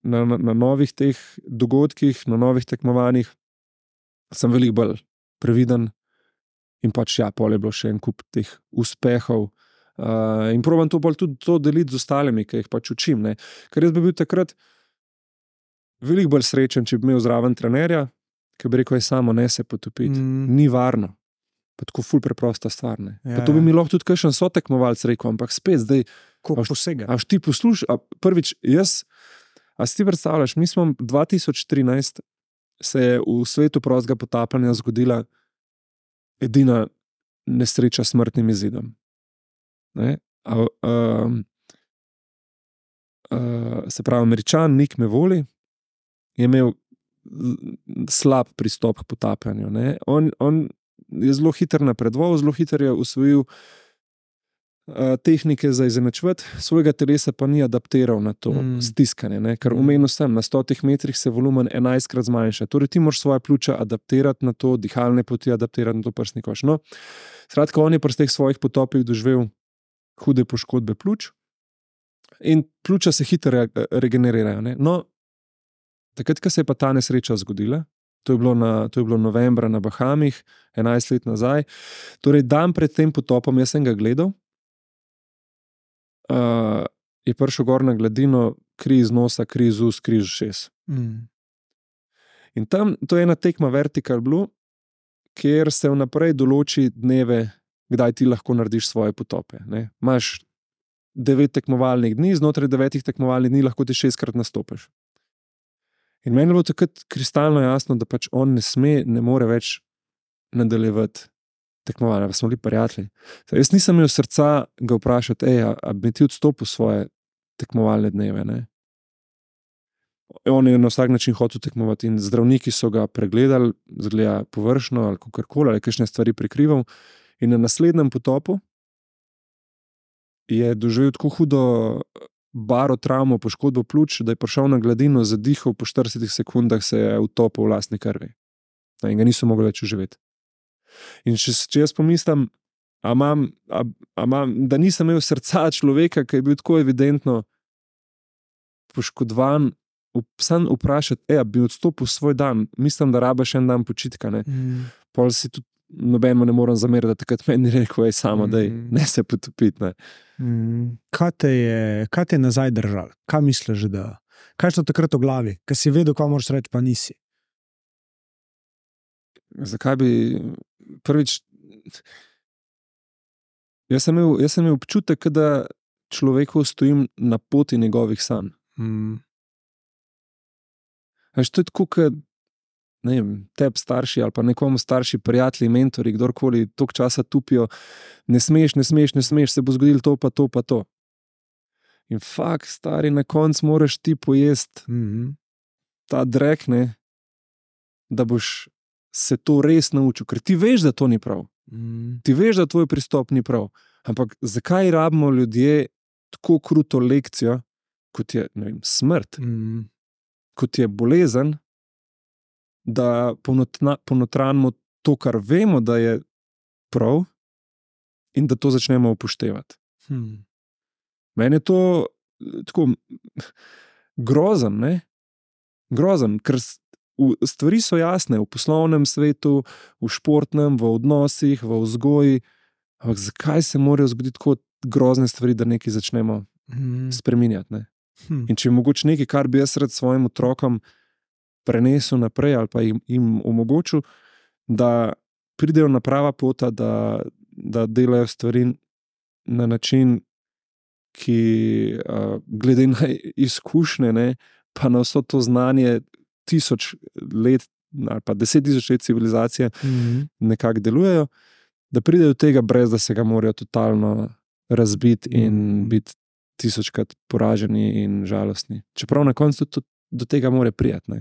[SPEAKER 1] Na novih teh dogodkih, na novih tekmovanjih sem veliko bolj previden in pač ja, pol je bilo še en kup teh uspehov in probam to bolj tudi to deliti z ostalimi, ki jih pač učim, ne. Ker jaz bi bil takrat veliko bolj srečen, če bi imel zraven trenerja, ki bi rekel, je samo ne se potopiti, ni varno. Pa tako ful preprosta stvar, ne. Pa to bi mi lahko tudi kakšen sotekmovalec rekel, ampak spet zdaj, a ti poslušaj, prvič, a si ti predstavljaš, mi smo 2013 se je v svetu prostega potapljanja zgodila edina nesreča s smrtnim izidom. Ne? Se pravi, Američan Nick Mevoli je imel slab pristop k potapljanju. Ne? On je zelo hiter napredoval, zelo hiter je usvojil tehnike za izenačevati, svojega telesa pa ni adaptiral na to stiskanje, ne? Ker omenil sem, na 100 metrih se volumen 11-krat zmanjša. Torej ti moraš svoje pljuča adaptirati na to, dihalne poti adaptirati na to prsni koš. No, skratka, on je pri teh svojih potopih doživel hude poškodbe pljuč in pljuča se hitro regenerirajo. Ne? No, takrat, ko se je pa ta nesreča zgodila, to je bilo novembra na Bahamih, 11 let nazaj, torej dan pred tem potopom, jaz sem ga gledal, je prišel gor na gladino, kri iz nosa, kri iz ust, kri iz ušes. In tam, to je ena tekma Vertical Blue, kjer se vnaprej določi dneve, kdaj ti lahko narediš svoje potope. Ne? Imaš 9 tekmovalnih dni, znotraj 9 tekmovalnih dni lahko ti 6-krat nastopiš. In meni je bilo takrat kristalno jasno, da pač on ne more več nadaljevati tekmovanja, pa smo bili prijatelji. Jaz nisem imel srca ga vprašati, a bi ti odstopil svoje tekmovalne dneve, ne? on je na vsak način hotel tekmovati in zdravniki so ga pregledali, zgleda površno ali kakorkoli, ali kakšne stvari prikrival. In na naslednjem potopu je doživel tako hudo barotravmo, poškodbo pljuč, da je prišel na gladino, zadihal, po 40 sekundah se je utopil v lastni krvi. In ga niso mogli več uživeti. In če jaz pomislim, da nisem imel srca človeka, ki je bil tako evidentno poškodovan, sam vprašati, bi odstopil svoj dan, mislim, da rabaš en dan počitka. Pol si tudi nobenemu ne morem zameriti, da takrat meni rekel, samo daj, ne se potopiti.
[SPEAKER 3] Kaj te je nazaj držalo? Kaj misliš, da? Kaj je to takrat v glavi? Kaj si vedel, kaj moraš reči, pa nisi?
[SPEAKER 1] Zakaj bi prvič... Jaz sem imel občutek, da človeku stojim na poti njegovih sanj. Veš, to je tako, kot tebi starši ali pa nekomu starši prijatelji, mentori, kdorkoli toliko časa tupijo, ne smeš, se bo zgodilo to pa to pa to. In fakt, stari, na koncu moraš ti pojesti ta drek, da boš se to res naučil, ker ti veš, da to ni prav. Ti veš, da tvoj pristop ni prav. Ampak zakaj rabimo ljudje tako kruto lekcijo, kot je smrt, kot je bolezen, da ponotranimo to, kar vemo, da je prav, in da to začnemo upoštevati. Meni je to tako grozen, grozen, ker stvari so jasne v poslovnem svetu, v športnem, v odnosih, v vzgoji, ampak zakaj se morajo zgoditi tako grozne stvari, da nekaj začnemo spreminjati? In če je mogoče nekaj, kar bi jaz rad svojim otrokom prenesel naprej ali pa jim omogočil, da pridejo na prava pota, da delajo stvari na način, ki glede na izkušnje, pa na vso to znanje 1000 let ali pa 10.000 let civilizacije nekako delujejo, da pridejo do tega, brez da se ga morajo totalno razbiti in biti 1000krat poraženi in žalostni. Čeprav na koncu tudi do tega mora prijeti.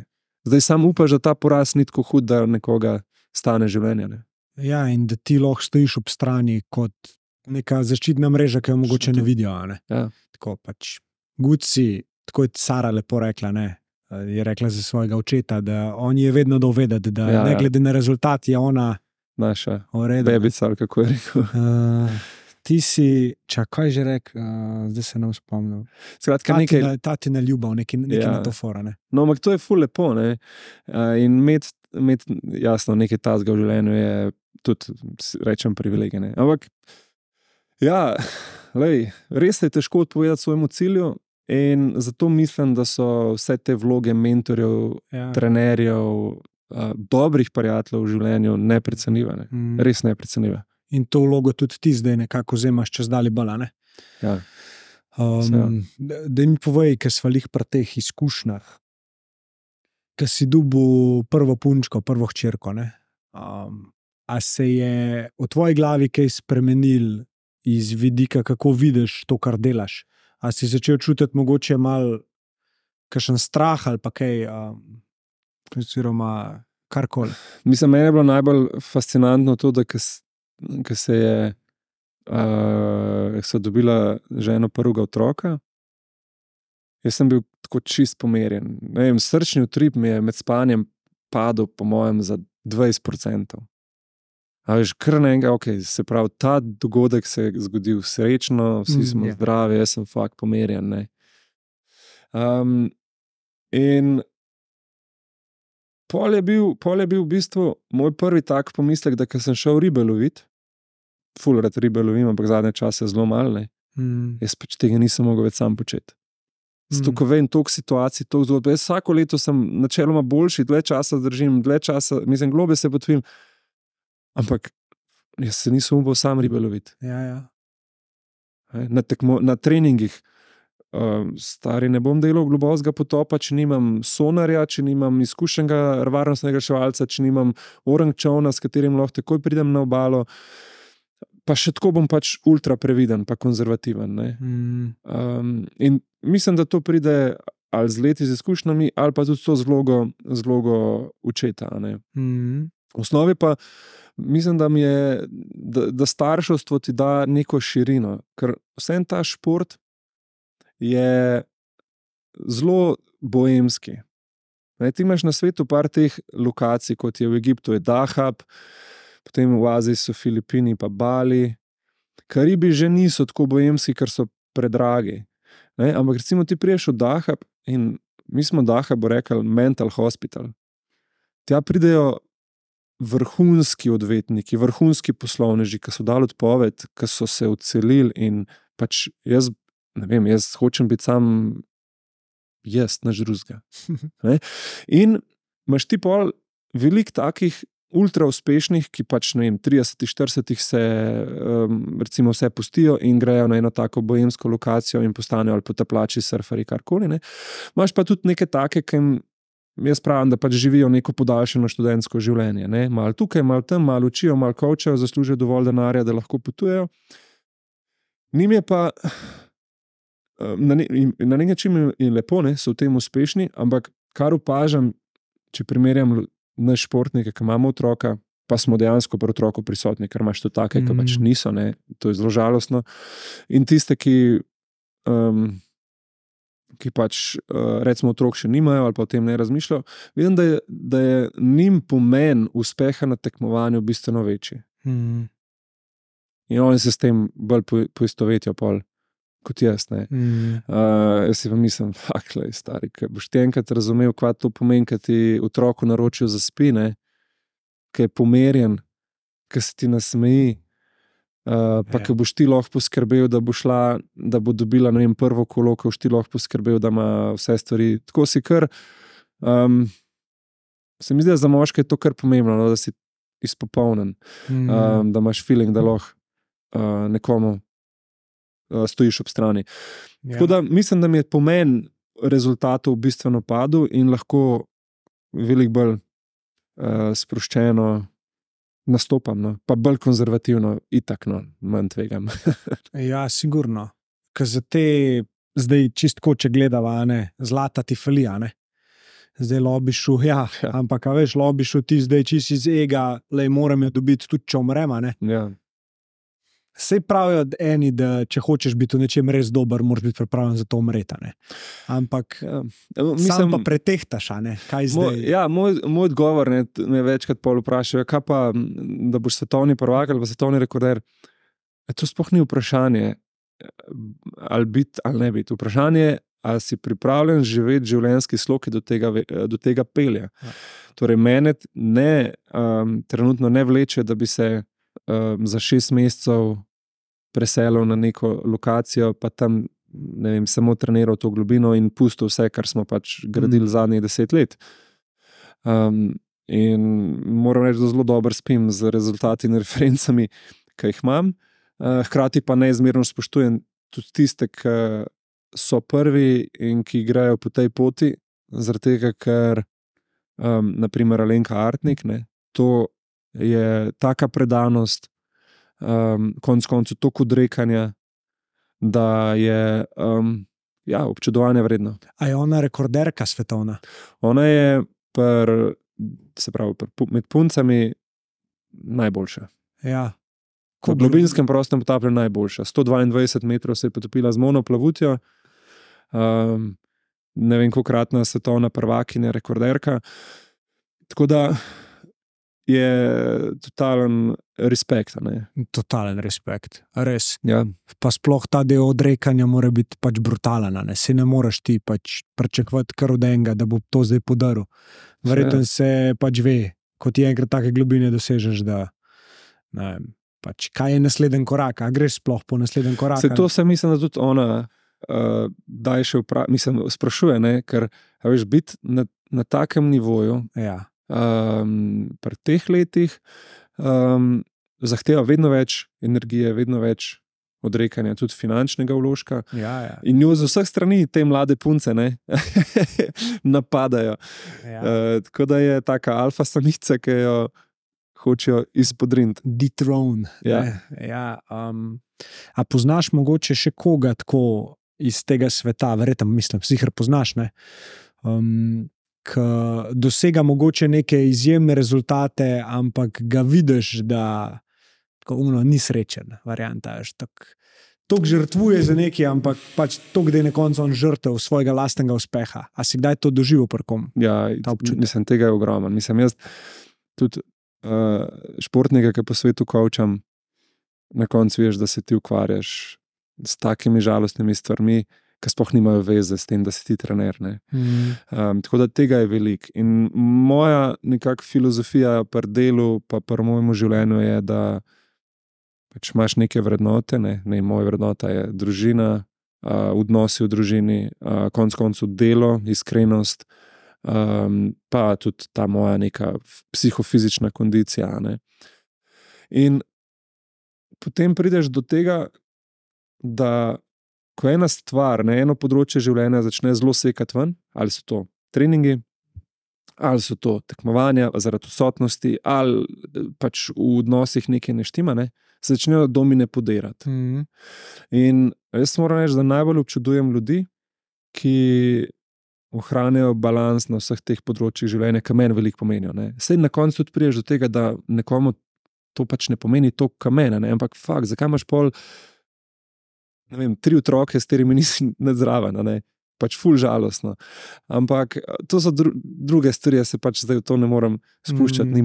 [SPEAKER 1] Zdaj sam upaš, da ta poraz ni tako hud, da nekoga stane življenja.
[SPEAKER 3] Ja, in da ti lahko stojiš ob strani kot neka zaščitna mreža, ki jo mogoče ne vidijo.
[SPEAKER 1] Ja.
[SPEAKER 3] Tako pač Guci, tako je Sara lepo rekla, je rekla za svojega očeta, da on je vedno dal vedeti, da ne glede na rezultat je ona
[SPEAKER 1] naša bebica, ali kako je rekel.
[SPEAKER 3] Ti si, kaj že rekel, zdaj se ne spomnim.
[SPEAKER 1] Skratka,
[SPEAKER 3] tatina ljubav, nekaj na to fora.
[SPEAKER 1] No, ampak to je ful lepo, in imeti jasno nekaj tazga v življenju je tudi, rečem, privilegij. Ampak ja, res je težko odpovedati svojemu cilju in zato mislim, da so vse te vloge mentorjev, trenerjev, dobrih prijateljev v življenju neprecenljive. Res neprecenljive.
[SPEAKER 3] In to vlogo tudi ti zdaj nekako vzemaš čez dalje bolj, ne?
[SPEAKER 1] Ja.
[SPEAKER 3] Da mi povej, ker sva lih pri teh izkušnjah, ker si dobil prvo punčko, prvo hčerko, a se je v tvoji glavi kaj spremenil iz vidika, kako vidiš to, kar delaš? A si začel čutiti mogoče malo kakšen strah ali pa kaj, oziroma karkoli?
[SPEAKER 1] Mislim, meni je bilo najbolj fascinantno to, da so dobila ženo prvega otroka. Jaz sem bil tako čist pomerjen. Srčni utrip mi je med spanjem padel, po mojem, za 20%. A veš, kar naenega, se pravi, ta dogodek se je zgodil srečno, vsi smo zdravi, jaz sem fakt pomerjen. In pol je bil v bistvu moj prvi tak pomislek, da ko sem šel ribe loviti, ful rad ribe lovim, ampak zadnje čase zelo malo, jaz pač tega nisem mogel več sam početi. Zato, ko vem toliko situacij, toliko zgodb, jaz vsako leto sem načeloma boljši, dlje časa zdržim, mislim, globe se potvim, ampak jaz se nisem upal sam ribe loviti. Na treningih, stari, ne bom delal globokega potopa, če nimam sonarja, če nimam izkušenega varnostnega reševalca, če nimam orang čovna, s katerim lahko takoj pridem na obalo, pa še tako bom pač ultra previden, pa konzervativen. In mislim, da to pride ali z leti, z izkušnjami, ali pa tudi to z vlogo očeta. V osnovi pa mislim, da starševstvo ti da neko širino, ker vsem ta šport je zelo boemski. Ti imaš na svetu par teh lokacij, kot je v Egiptu je Dahab, potem v Aziji so Filipini pa Bali. Karibi že niso tako boemski, ker so predragi. Ampak recimo ti priješ v Dahab in mi smo Dahabu rekli mental hospital. Tja pridejo vrhunski odvetniki, vrhunski poslovneži, ki so dali odpoved, ki so se odselili in pač jaz hočem biti sam naš drugega. In imaš ti pol veliko takih ultra uspešnih, ki pač 30-40 se recimo vse pustijo in grejo na eno tako boemsko lokacijo in postanejo ali potapljači, surferi, karkoli. Imaš pa tudi neke take, ki jaz pravim, da pač živijo neko podaljšano študentsko življenje. Malo tukaj, malo tam, malo učijo, malo coachajo, zaslužijo dovolj denarja, da lahko potujejo. Njim je pa na nek način je lepo, so v tem uspešni, ampak kar opažam, če primerjam naš športnike, ki imamo otroka, pa smo dejansko pri otroku prisotni, ker imaš to take, ki pač niso, to je zelo žalostno. In tiste, ki pač recimo otrok še nimajo ali pa o tem ne razmišljajo, vidim, da je njim pomen uspeha na tekmovanju bistveno večji. In oni se s tem bolj poistovetijo pol kot jaz. Jaz si pa mislim, stari, ker boš ti enkrat razumel, kaj to pomeni, kad ti otroku naročijo za spine, ki je pomerjen, ki se ti nasmeji, pa ki boš ti lahko poskrbel, da bo šla, da bo dobila, prvo kolo, ki boš ti lahko poskrbel, da ima vse stvari. Tako si kar, se mi zdi, da za moške je to kar pomembno, da si izpopolnen, da imaš feeling, da lahko nekomu stojiš ob strani. Tako da mislim, da mi je pomen rezultatov bistveno padel in lahko veliko bolj sproščeno nastopam, pa bolj konzervativno, itak, manj tvegam.
[SPEAKER 3] Ja, sigurno. Ker za te, zdaj čistko, če gledava, zlata ti falija, Zdaj lobišu, ampak veš, lobišu ti zdaj čist iz ega, moram jo dobiti tudi, če umrem,
[SPEAKER 1] Ja.
[SPEAKER 3] Sej pravijo eni, da če hočeš biti v nečem res dober, moraš biti pripravljen za to umreti. Ampak sam pa pretehtaš, kaj zdaj?
[SPEAKER 1] Moj odgovor me večkrat pol vprašajo, kaj pa, da boš svetovni prvak ali pa svetovni rekorder. To sploh ni vprašanje, ali biti ali ne biti. Vprašanje, ali si pripravljen živeti življenjski slog, ki do tega pelje. Torej, mene trenutno ne vleče, da bi se za 6 mesecev preselil na neko lokacijo, pa tam, samo treniral to globino in pustil vse, kar smo pač gradili zadnjih 10 let. In moram reči, da zelo dobro spim z rezultati in referencami, ki jih imam. Hkrati pa neizmerno spoštujem tudi tiste, ki so prvi in ki igrajo po tej poti, zaradi tega, ker naprimer Alenka Artnik, to je taka predanost, konec koncev toliko odrekanja, da je občudovanja vredno.
[SPEAKER 3] A je ona rekorderka svetovna?
[SPEAKER 1] Ona je med puncami najboljša.
[SPEAKER 3] Ja.
[SPEAKER 1] V globinskem prostem potapljanju najboljša. 122 metrov se je potopila z monoplavutjo, ne vem kolikokratna svetovna prvakinja, rekorderka. Tako da je totalen respekt.
[SPEAKER 3] Totalen respekt, res.
[SPEAKER 1] Ja.
[SPEAKER 3] Pa sploh ta del odrekanja mora biti pač brutalen. Se ne moreš ti pač pričakovati kar od enega, da bo to zdaj podaril. Verjetno se pač ve, ko ti enkrat take globine dosežeš, da pač, kaj je naslednji korak, a greš sploh po naslednjem koraku?
[SPEAKER 1] To se mislim, da tudi ona sprašuje, ker veš, biti na takem nivoju, pri teh letih zahteva vedno več energije, vedno več odrekanja, tudi finančnega vložka. In jo z vseh strani te mlade punce napadajo. Tako da je taka alfa samica, ki jo hočejo izpodriniti.
[SPEAKER 3] Dethrone. A poznaš mogoče še koga tako iz tega sveta, verjetno, mislim, sicer poznaš, ne? Ki dosega mogoče neke izjemne rezultate, ampak ga vidiš, da ni srečen, varianta. Tok žrtvuje za nekaj, ampak pač tok, da je na koncu on žrtev svojega lastnega uspeha. A si kdaj to doživel pri kom?
[SPEAKER 1] Ja, mislim, tega je ogromno. Mislim, jaz tudi športnike, ki po svetu kovčam, na koncu veš, da se ti ukvarjaš s takimi žalostnimi stvarmi, ki sploh nimajo veze s tem, da si ti trener. Tako da tega je veliko. In moja nekak filozofija pri delu, pa pri mojemu življenju je, da pač imaš neke vrednote, ne, moja vrednota je družina, odnosi v družini, konec koncev delo, iskrenost, pa tudi ta moja neka psihofizična kondicija. Ne. In potem prideš do tega, da ko ena stvar, eno področje življenja začne zelo sekati ven, ali so to treningi, ali so to tekmovanja zaradi odsotnosti, ali pač v odnosih nekaj ne štima, se začnejo domine podirati. In jaz moram reči, da najbolj občudujem ljudi, ki ohranjajo balans na vseh teh področjih življenja, ki meni veliko pomenijo. Saj na koncu tudi priješ do tega, da nekomu to pač ne pomeni to, kar mene, ampak fakt, zakaj imaš pol 3 otroke, s katerimi nisi nadzraven, pač ful žalostno. Ampak to so druge stvari, se pač zdaj v to ne morem spuščati, ni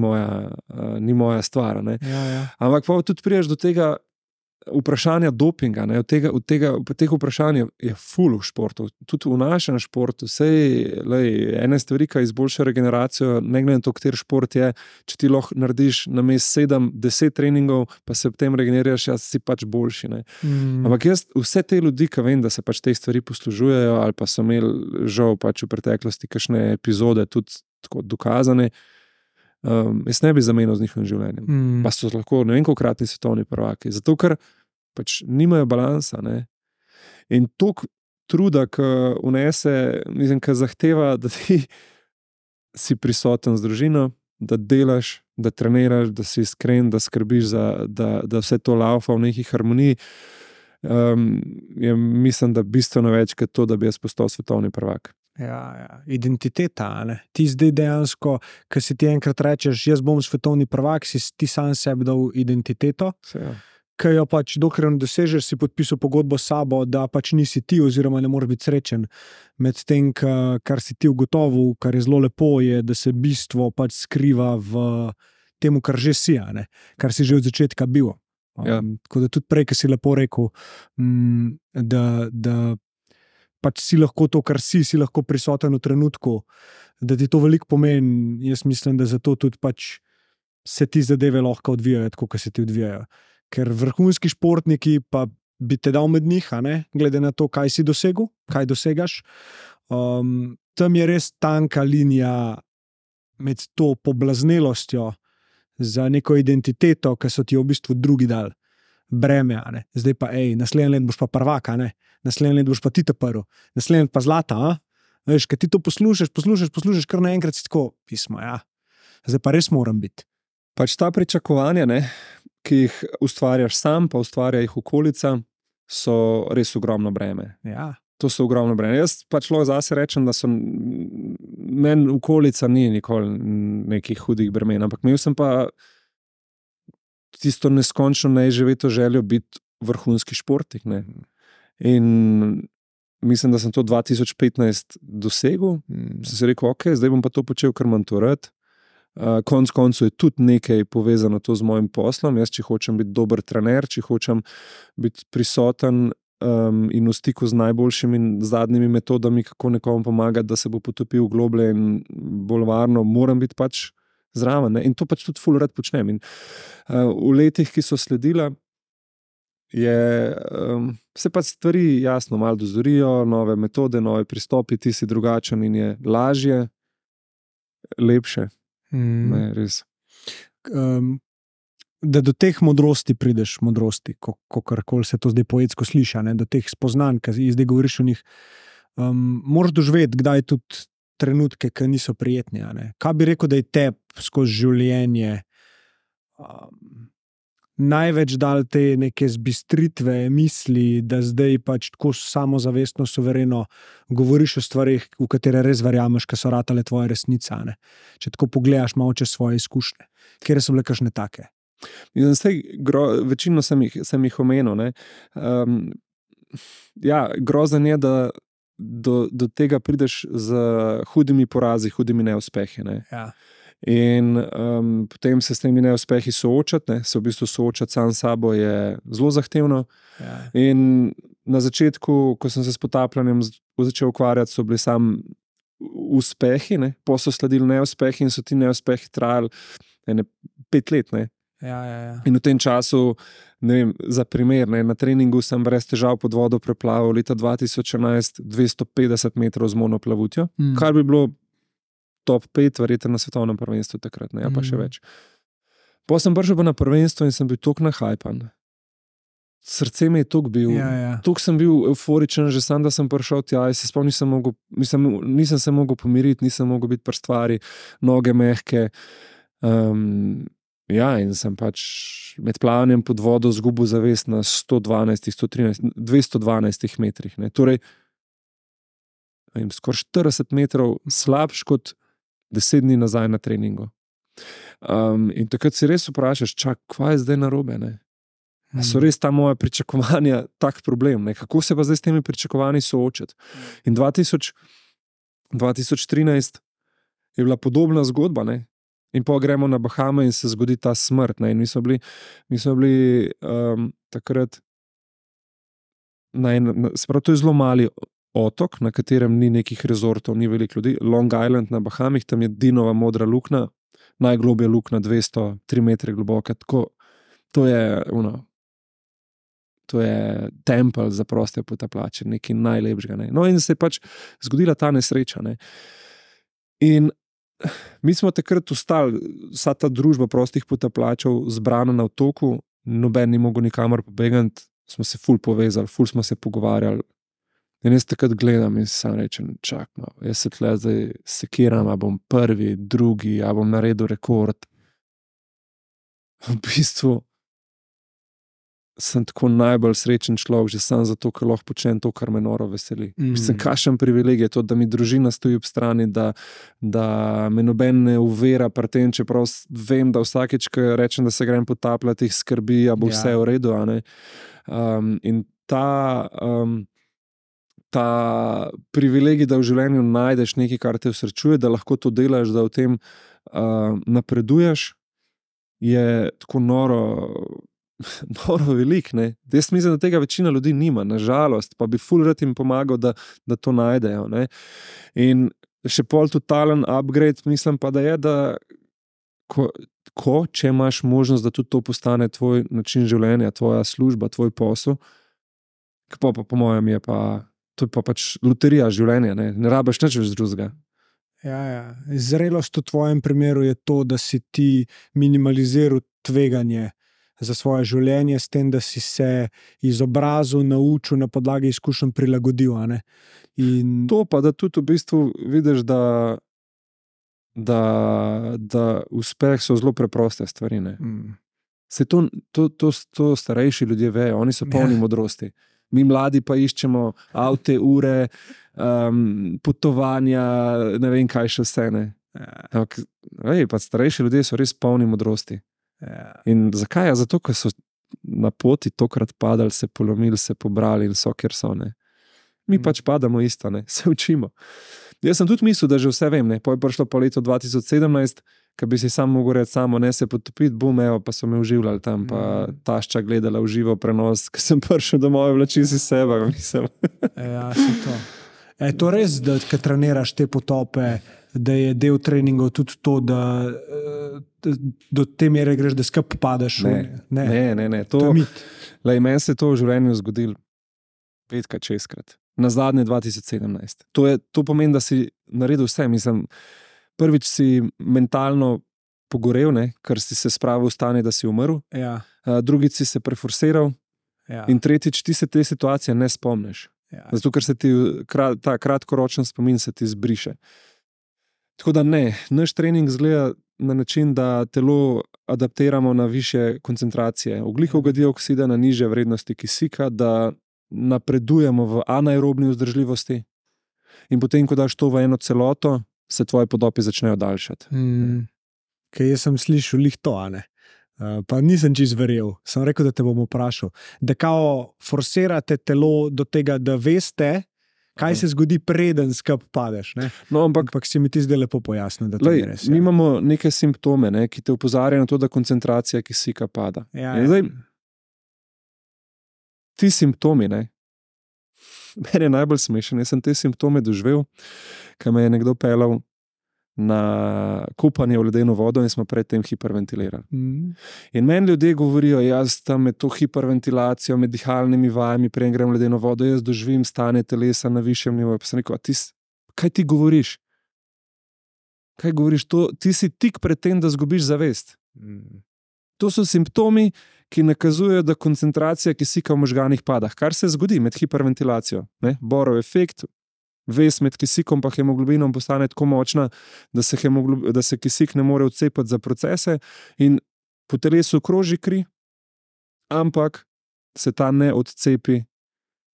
[SPEAKER 1] moja stvar.
[SPEAKER 3] Ja.
[SPEAKER 1] Ampak pa tudi priješ do tega vprašanja dopinga, od teh vprašanj je ful v športu, tudi v našem športu, ene stvari, ki izboljša regeneracijo, ne glede na to, kateri šport je, če ti lahko narediš namesto 7-10 treningov, pa se potem regeneriraš, jaz si pač boljši. Ampak jaz vse te ljudi, ki vem, da se pač te stvari poslužujejo, ali pa so imeli žal pač v preteklosti kakšne epizode tudi tako dokazane, jaz ne bi zamenil z njihovim življenjem. Pa so lahko ne vem kolikokratni svetovni prvaki, zato ker pač nimajo balansa. In toliko truda, ki vnese, mislim, ki zahteva, da ti si prisoten z družino, da delaš, da treniraš, da si iskren, da skrbiš da vse to laufa v neki harmoniji, mislim, da bistveno več kot to, da bi jaz postal svetovni prvak.
[SPEAKER 3] Ja, identiteta, ti zdaj dejansko, ko si ti enkrat rečeš, jaz bom svetovni prvak, si ti sam sebi dal identiteto, ki jo pač dokler ne dosežeš, si podpisal pogodbo s sabo, da pač nisi ti oziroma ne moreš biti srečen. Med tem, kar si ti ugotovil, kar je zelo lepo, je, da se bistvo pač skriva v temu, kar že si, kar si že od začetka bil. Tako da tudi prej, ki si lepo rekel, da pač si lahko to, kar si lahko prisoten v trenutku, da ti to veliko pomeni. Jaz mislim, da zato tudi pač se ti zadeve lahko odvijajo, tako kot se ti odvijajo. Ker vrhunski športniki pa bi te dal med njih, glede na to, kaj si dosegel, kaj dosegaš. Tam je res tanka linija med to poblaznelostjo za neko identiteto, ki so ti v bistvu drugi dal breme. Zdaj pa, naslednji let boš pa prvak, naslednji let boš pa ti ta prvi, naslednji let pa zlata. Veš, kad ti to poslušaš, kar naenkrat si tako, pismo, zdaj pa res moram biti.
[SPEAKER 1] Pač ta pričakovanja, ki jih ustvarjaš sam, pa ustvarja jih okolica, so res ogromno breme.
[SPEAKER 3] Ja.
[SPEAKER 1] To so ogromno breme. Jaz pač lahko zase rečem, da so meni okolica ni nikoli nekih hudih bremen, ampak imel sem pa tisto neskončno neizživeto željo biti vrhunski športnik. In mislim, da sem to 2015 dosegel. Sem si rekel, zdaj bom pa to počel, ker imam to rad. Konec koncev je tudi nekaj povezano to z mojim poslom. Jaz, če hočem biti dober trener, če hočem biti prisoten in v stiku z najboljšimi zadnjimi metodami, kako nekomu pomagati, da se bo potopil globlje in bolj varno, moram biti pač zraven. In to pač tudi ful rad počnem. In v letih, ki so sledila, se pa stvari jasno malo dozorijo, nove metode, nove pristopi, ti si drugačen in je lažje, lepše. Res.
[SPEAKER 3] Da do teh modrosti prideš, kakorkoli se to zdaj poetsko sliša, do teh spoznanj, ki zdaj govoriš o njih, moraš doživeti kdaj tudi trenutke, ki niso prijetni. Kaj bi rekel, da je te skozi življenje največ dal te neke zbistritve misli, da zdaj pač tako samozavestno, suvereno govoriš o stvarih, v katere res verjameš, ker so ratale tvoje resnice. Ne? Če tako pogledaš malo čez svoje izkušnje, kjer so bile kakšne take.
[SPEAKER 1] Večino sem jih omenil. Grozen je, da do tega prideš z hudimi porazi, hudimi neuspehi. Ne?
[SPEAKER 3] Ja.
[SPEAKER 1] In potem se s temi neuspehi soočati, se v bistvu soočati sam s sabo je zelo zahtevno.
[SPEAKER 3] Ja.
[SPEAKER 1] In na začetku, ko sem se s potapljanjem začel ukvarjati, so bili sam uspehi, pa so sledili neuspehi in so ti neuspehi trajali 5 let. Ne?
[SPEAKER 3] Ja.
[SPEAKER 1] In v tem času, za primer, na treningu sem brez težav pod vodo preplaval leta 2011 250 metrov z monoplavutjo, kar bi bilo top 5, verjetno na svetovnem prvenstvu takrat, pa še več. Potem sem prišel na prvenstvo in sem bil toliko nahajpan. Srce mi je toliko bil, toliko sem bil euforičen, že sam, da sem prišel tja, se spomnim, nisem se mogel pomiriti, nisem mogel biti pri stvari, noge mehke. In sem pač med plavanjem pod vodo zgubil zavest na 212 metrih. Ne. Torej, skoraj 40 metrov slabš kot 10 dni nazaj na treningu. In takrat si res vprašaš, kaj je zdaj narobe? So res ta moja pričakovanja tak problem? Ne? Kako se pa zdaj s temi pričakovanji soočati? In 2013 je bila podobna zgodba, ne? In pa gremo na Bahame in se zgodi ta smrt. Ne? In mi smo bili takrat to je zelo mali otok, na katerem ni nekih rezortov, ni veliko ljudi. Long Island na Bahamih, tam je Dinova modra luknja, najglobja luknja, 203 metre globoka. To je tempelj za proste potapljače, nekaj najlepšega. Ne. No in se je pač zgodila ta nesreča. Ne. In mi smo takrat ostali, vsa ta družba prostih potapljačev zbrana na otoku, noben ni mogel nikamor pobegati, smo se ful povezali, ful smo se pogovarjali. In jaz takrat gledam in sam rečem, jaz se tle zdaj sekiram, a bom prvi, drugi, a bom naredil rekord. V bistvu sem tako najbolj srečen človek, že sam zato, ker lahko počnem to, kar me noro veseli. Mislim, kakšen privilegij je to, da mi družina stoji ob strani, da me noben ne uvera pri tem, čeprav vem, da vsakeč, ko rečem, da se grem potapljati, jih skrbi, a bo vse v redu. In ta privilegij, da v življenju najdeš nekaj, kar te usrečuje, da lahko to delaš, da v tem napreduješ, je tako noro velik. Ne? Jaz mislim, da tega večina ljudi nima, nažalost, pa bi ful rad jim pomagal, da to najdejo. Ne? In še pol totalen upgrade, mislim pa, da je, da če imaš možnost, da tudi to postane tvoj način življenja, tvoja služba, tvoj posel, po mojem je pa to je pa pač loterija življenja, ne rabiš nič več drugega.
[SPEAKER 3] Ja. Zrelost v tvojem primeru je to, da si ti minimaliziral tveganje za svoje življenje s tem, da si se izobrazil, naučil, na podlagi izkušenj prilagodil. In
[SPEAKER 1] to pa, da tudi v bistvu vidiš, da uspeh so zelo preproste stvari. Se to starejši ljudje vejo, oni so polni modrosti. Mi mladi pa iščemo avte, ure, potovanja, ne vem kaj še vse. Pa starejši ljudje so res polni modrosti. In zakaj? Zato, ker so na poti tokrat padali, se polomili, se pobrali in so, kjer so. Mi pač padamo isto, se učimo. Jaz sem tudi mislil, da že vse vem. Po je prišlo po letu 2017, ko bi si sam mogel reči samo, ne se potopiti, pa so me uživljali tam, pa tašča gledala v živo prenos, ko sem prišel domov, vlačil si sebe, mislim.
[SPEAKER 3] Ja, se to. Je to res, da ko treniraš te potope, da je del treningov tudi to, da do te mere greš, da skup padeš?
[SPEAKER 1] Ne. To je mit. Meni se je to v življenju zgodilo 5-krat, 6-krat. Na zadnje 2017. To pomeni, da si naredil vse. Mislim, prvič si mentalno pogorel, ker si se spravil v stanje, da si umrl.
[SPEAKER 3] Ja.
[SPEAKER 1] Drugič si se preforsiral.
[SPEAKER 3] Ja.
[SPEAKER 1] In tretjič ti se te situacije ne spomniš.
[SPEAKER 3] Ja.
[SPEAKER 1] Zato, ker se ti ta kratkoročen spomin se ti zbriše. Tako da ne, naš trening izgleda na način, da telo adaptiramo na više koncentracije ogljikovega dioksida, na nižje vrednosti kisika, da napredujemo v anaerobni vzdržljivosti in potem, ko daš to v eno celoto, se tvoje podopi začnejo daljšati.
[SPEAKER 3] Kaj jaz sem slišal lih to, a ne? Pa nisem čist verjel, sem rekel, da te bom vprašal, da kao forsirate telo do tega, da veste, kaj se zgodi preden skup padeš, ne?
[SPEAKER 1] No, ampak
[SPEAKER 3] si mi ti zdaj lepo pojasnil, da to ni res.
[SPEAKER 1] Mi imamo neke simptome, ne, ki te opozarjajo na to, da koncentracija kisika pada. In zdaj, ti simptomi, ne, meni je najbolj smešen, jaz sem te simptome doživel, ko me je nekdo pelal na kupanje v ledeno vodo in smo predtem hiperventilirali. In meni ljudje govorijo, jaz tam med to hiperventilacijo, med dihalnimi vajami, preden grem v ledeno vodo, jaz doživim stanje telesa na višjem nivoju. Pa sem rekel, kaj ti govoriš? Kaj govoriš? Ti si tik pred tem, da zgubiš zavest. To so simptomi, ki nakazujejo, da koncentracija kisika v možganih pada. Kar se zgodi med hiperventilacijo. Borov efekt, vez med kisikom pa hemoglobinom postane tako močna, da se kisik ne more odcepati za procese in po telesu kroži kri, ampak se ta ne odcepi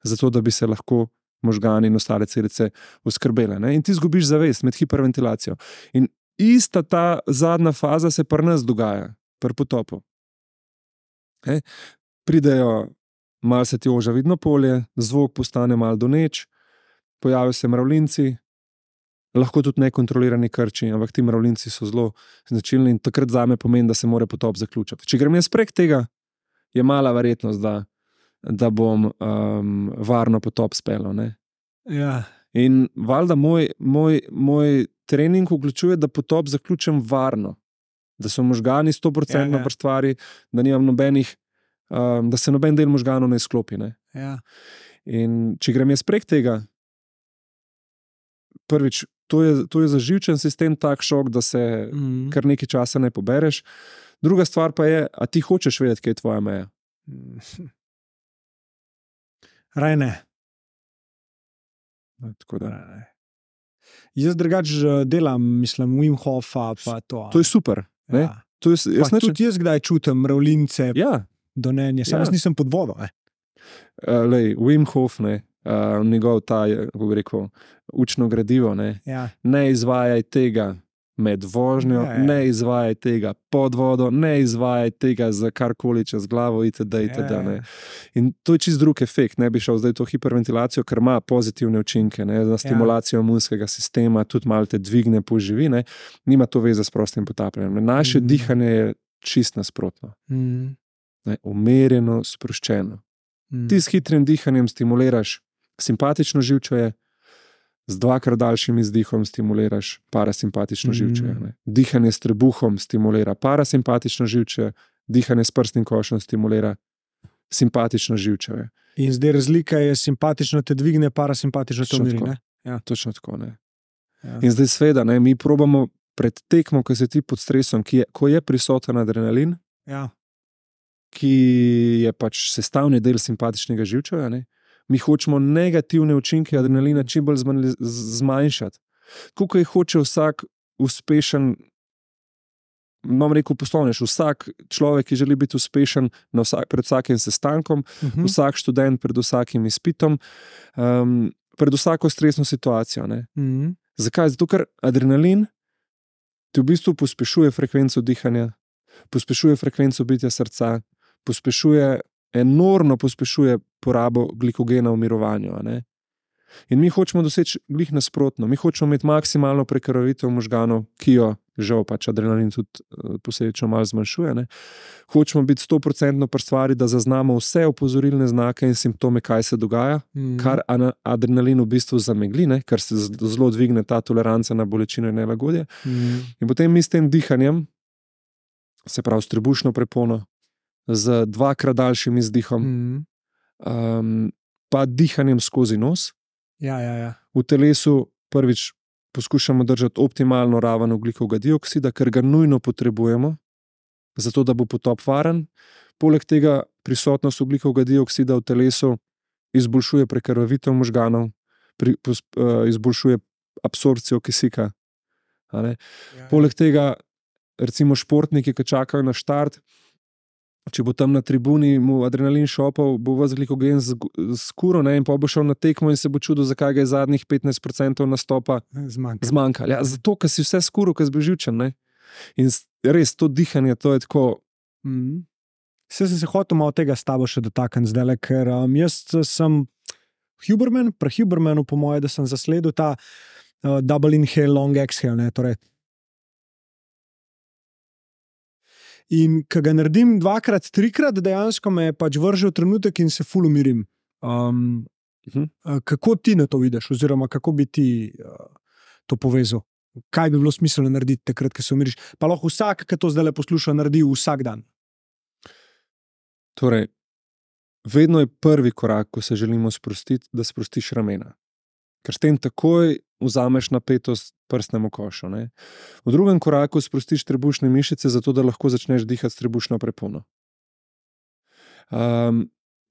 [SPEAKER 1] zato, da bi se lahko možgani in ostale celice oskrbele. In ti zgubiš zavest med hiperventilacijo. In ista ta zadnja faza se pri nas dogaja, pri potopu. Pridejo, malo se ti oža vidno polje, zvok postane malo doneč, pojavijo se mravljinci, lahko tudi nekontrolirani krči, ampak ti mravljinci so zelo značilni in takrat zame pomeni, da se mora potop zaključiti. Če grem jaz prek tega, je mala verjetnost, da bom varno potop speljal.
[SPEAKER 3] Ja.
[SPEAKER 1] In valjda moj trening vključuje, da potop zaključim varno, da so možgani 100% pri stvari, da nimam nobenih, da se noben del možganov ne izklopi.
[SPEAKER 3] Ja.
[SPEAKER 1] In če grem jaz prek tega, prvič, to je za živčen sistem tak šok, da se kar nekaj časa ne pobereš. Druga stvar pa je, a ti hočeš vedeti, kaj je tvoja meja?
[SPEAKER 3] Raj ne.
[SPEAKER 1] Tako da.
[SPEAKER 3] Jaz drugače delam, mislim, Wim Hofa pa to.
[SPEAKER 1] To je super.
[SPEAKER 3] Ja. Tudi jaz kdaj čutim mravljince, donenje, sam jaz nisem pod vodo.
[SPEAKER 1] Wim Hof, njegov ta, kako bi rekel, učno gradivo, ne izvajaj tega med vožnjo, ne izvajaj tega pod vodo, ne izvajaj tega za karkoli čez glavo itd. In to je čist drug efekt, ne bi šel zdaj to hiperventilacijo, ker ima pozitivne učinke, na stimulacijo imunskega sistema, tudi malo te dvigne, poživi, nima to veze s prostim potapljanjem. Naše dihanje je čist nasprotno. Umerjeno, sproščeno. Ti s hitrim dihanjem stimuliraš simpatično živčevje, z dvakrat daljšim izdihom stimuliraš parasimpatično živčevje. Dihanje s trebuhom stimulira parasimpatično živčevje, dihanje s prsnim košem stimulira simpatično živčevje.
[SPEAKER 3] In zdaj razlika je, simpatično te dvigne, parasimpatično te umiri, ne?
[SPEAKER 1] Ja. Točno tako, ne. Ja. In zdaj sveda, mi probamo pred tekmo, ko si ti pod stresom, ko je prisoten adrenalin, ki je pač sestavni del simpatičnega živčevja, mi hočemo negativne učinke adrenalina čim bolj zmanjšati. Kako je hoče vsak uspešen, bom rekel poslovnež, vsak človek, ki želi biti uspešen pred vsakim sestankom, vsak študent pred vsakim izpitom, pred vsako stresno situacijo. Zakaj? Zato, ker adrenalin ti v bistvu pospešuje frekvenco dihanja, pospešuje frekvenco bitja srca, enormno pospešuje porabo glikogena v mirovanju. In mi hočemo doseči glih nasprotno. Mi hočemo imeti maksimalno prekrvavitev možganov, ki jo žal pač adrenalin tudi posledično malo zmanjšuje. Hočemo biti 100% pri stvari, da zaznamo vse opozorilne znake in simptome, kaj se dogaja, kar adrenalin v bistvu zamegli, ker se zelo dvigne ta toleranca na bolečino in nelagodje. In potem mi s tem dihanjem, se pravi s trebušno prepono, z dvakrat daljšim izdihom, pa dihanjem skozi nos. V telesu prvič poskušamo držati optimalno raven ogljikovega dioksida, ker ga nujno potrebujemo, zato da bo potop varen. Poleg tega prisotnost ogljikovega dioksida v telesu izboljšuje prekrvavitev možganov, izboljšuje absorpcijo kisika. Poleg tega recimo športniki, ki čakajo na štart, če bo tam na tribuni mu adrenalin šopal, bo vas glikogen skuro, ne, in pa bo šel na tekmo in se bo čudil, zakaj ga je zadnjih 15% nastopa zmanjkalo. Ja, zato, ker si vse skuro, ker si bil živčen, ne. In res to dihanje, to je tako.
[SPEAKER 3] Vse sem se hotel malo tega s tabo še dotakniti zdaj, ker jaz sem Huberman, pri Hubermanu po moje, da sem zasledil ta double inhale, long exhale, ne, torej. In ko ga naredim 2-krat, 3-krat, dejansko me pač vrže v trenutek in se ful umirim. Kako ti na to vidiš, oziroma kako bi ti to povezal? Kaj bi bilo smiselno narediti takrat, ko se umiriš? Pa lahko vsak, ki to zdaj posluša, naredi vsak dan.
[SPEAKER 1] Torej, vedno je prvi korak, ko se želimo sprostiti, da sprostiš ramena. Ker s tem takoj vzameš napetost prsnemu košu. Ne? V drugem koraku sprostiš trebušne mišice, zato da lahko začneš dihati s trebušno prepono.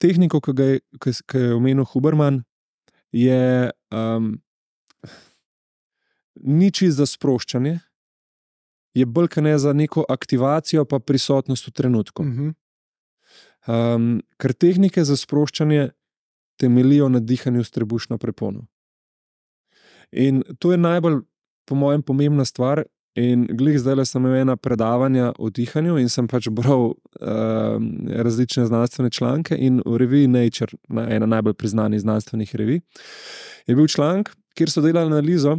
[SPEAKER 1] Tehniko, ki je omenil Huberman, je ni čisto za sproščanje, je bolj kot ne za neko aktivacijo pa prisotnost v trenutku. Ker tehnike za sproščanje temeljijo na dihanju s trebušno prepono. In to je najbolj, po mojem, pomembna stvar. In glih zdaj sem imel ena predavanja o dihanju in sem pač bral različne znanstvene članke in v reviji Nature, ena najbolj priznanih znanstvenih revij, je bil članek, kjer so delali analizo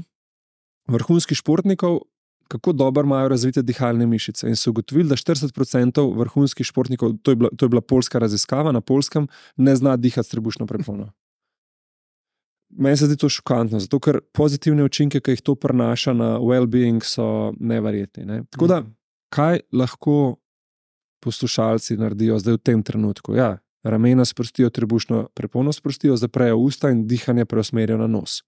[SPEAKER 1] vrhunskih športnikov, kako dobro imajo razvite dihalne mišice. In so ugotovili, da 40% vrhunskih športnikov, to je bila poljska raziskava na Poljskem, ne zna dihati s trebušno prepono. Meni se zdi to šokantno, zato ker pozitivne učinke, ki jih to prinaša na well-being, so neverjetni. Ne? Tako da, kaj lahko poslušalci naredijo zdaj v tem trenutku? Ja, ramena sprostijo, trebušno prepono sprostijo, zaprejo usta in dihanje preusmerijo na nos.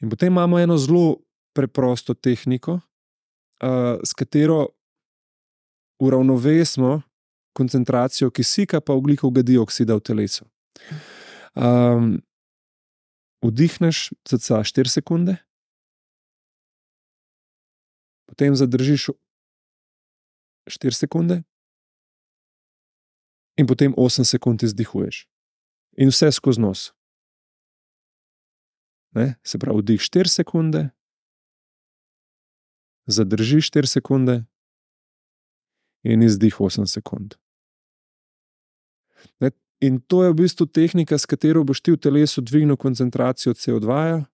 [SPEAKER 1] In potem imamo eno zelo preprosto tehniko, s katero uravnovesimo koncentracijo kisika pa ogljikovega dioksida v telesu. Vdihneš cca 4 sekunde, potem zadržiš 4 sekunde in potem 8 sekund izdihuješ. In vse skozi nos. Ne? Se pravi, vdih 4 sekunde, zadržiš 4 sekunde in izdih 8 sekund. Ne? In to je v bistvu tehnika, s katero boš ti v telesu dvignil koncentracijo CO2,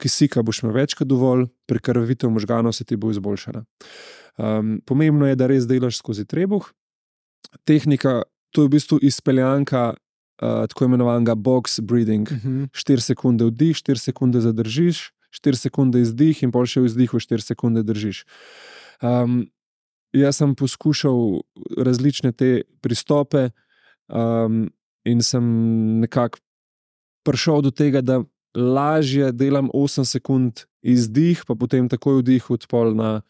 [SPEAKER 1] kisika boš imel več kot dovolj, prekrvavitev možganov se ti bo izboljšala. Pomembno je, da res delaš skozi trebuh. Tehnika, to je v bistvu izpeljanka tako imenovanega box breathing. 4 sekunde vdih, 4 sekunde zadržiš, 4 sekunde izdih in pol še v izdihu 4 sekunde držiš. Jaz sem poskušal različne te pristope, in sem nekako prišel do tega, da lažje delam 8 sekund izdih, pa potem takoj vdih, odpol na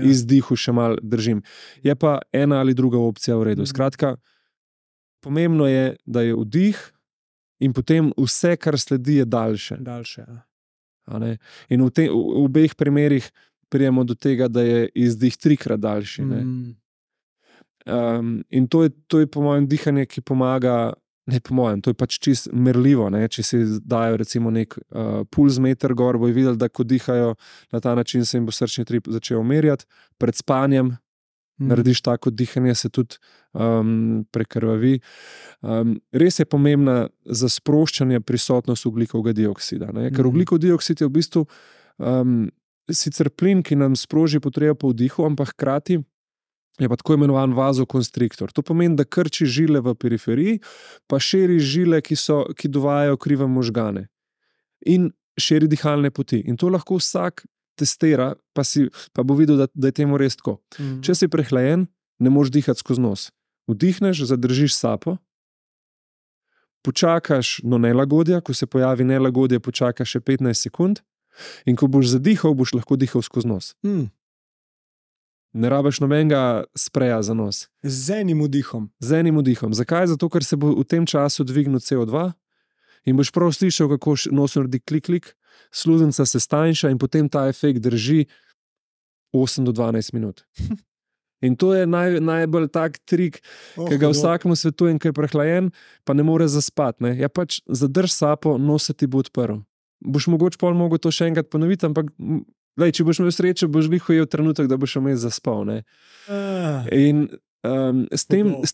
[SPEAKER 1] izdihu še malo držim. Je pa ena ali druga opcija v redu. Skratka, pomembno je, da je vdih in potem vse, kar sledi, je daljše. In v obeh primerih prijemo do tega, da je izdih 3-krat daljši. In to je po mojem dihanje, ki pomaga, ne po mojem, to je pač čist merljivo, ne? Če si dajo recimo nek pulzmeter gor, bojo videli, da ko dihajo na ta način, se jim bo srčni utrip začel merjati. Pred spanjem narediš tako dihanje, se tudi prekrvavi. Res je pomembna za sproščanje prisotnost ogljikovega dioksida, ne? Ker ogljikov dioksid je v bistvu sicer plin, ki nam sproži potrebo po vdihu, ampak hkrati je pa tako imenovan vazokonstriktor. To pomeni, da krči žile v periferiji, pa širi žile, ki dovajajo krive možgane. In širi dihalne poti. In to lahko vsak testira, pa bo videl, da je temu res tako. Če si prehlajen, ne moreš dihati skozi nos. Vdihneš, zadržiš sapo, počakaš do nelagodja, ko se pojavi nelagodje, počakaš še 15 sekund in ko boš zadihal, boš lahko dihal skozi nos. Ne rabiš nobenega spreja za nos.
[SPEAKER 3] Z enim vdihom.
[SPEAKER 1] Z enim vdihom. Zakaj? Zato, ker se bo v tem času dvignil CO2 in boš prav slišal, kako nos naredi klik, sluznica se stanjša in potem ta efekt drži 8 do 12 minut. In to je najbolj tak trik, ki ga vsakemu svetujem, ki je prehlajen, pa ne more zaspati. Ne? Ja, pač zadrž sapo, nos se ti bo odprl. Boš mogoče pol mogel to še enkrat ponoviti, ampak lej, če boš imel srečo, boš glihojel trenutek, da boš imel zaspal. Ne? In s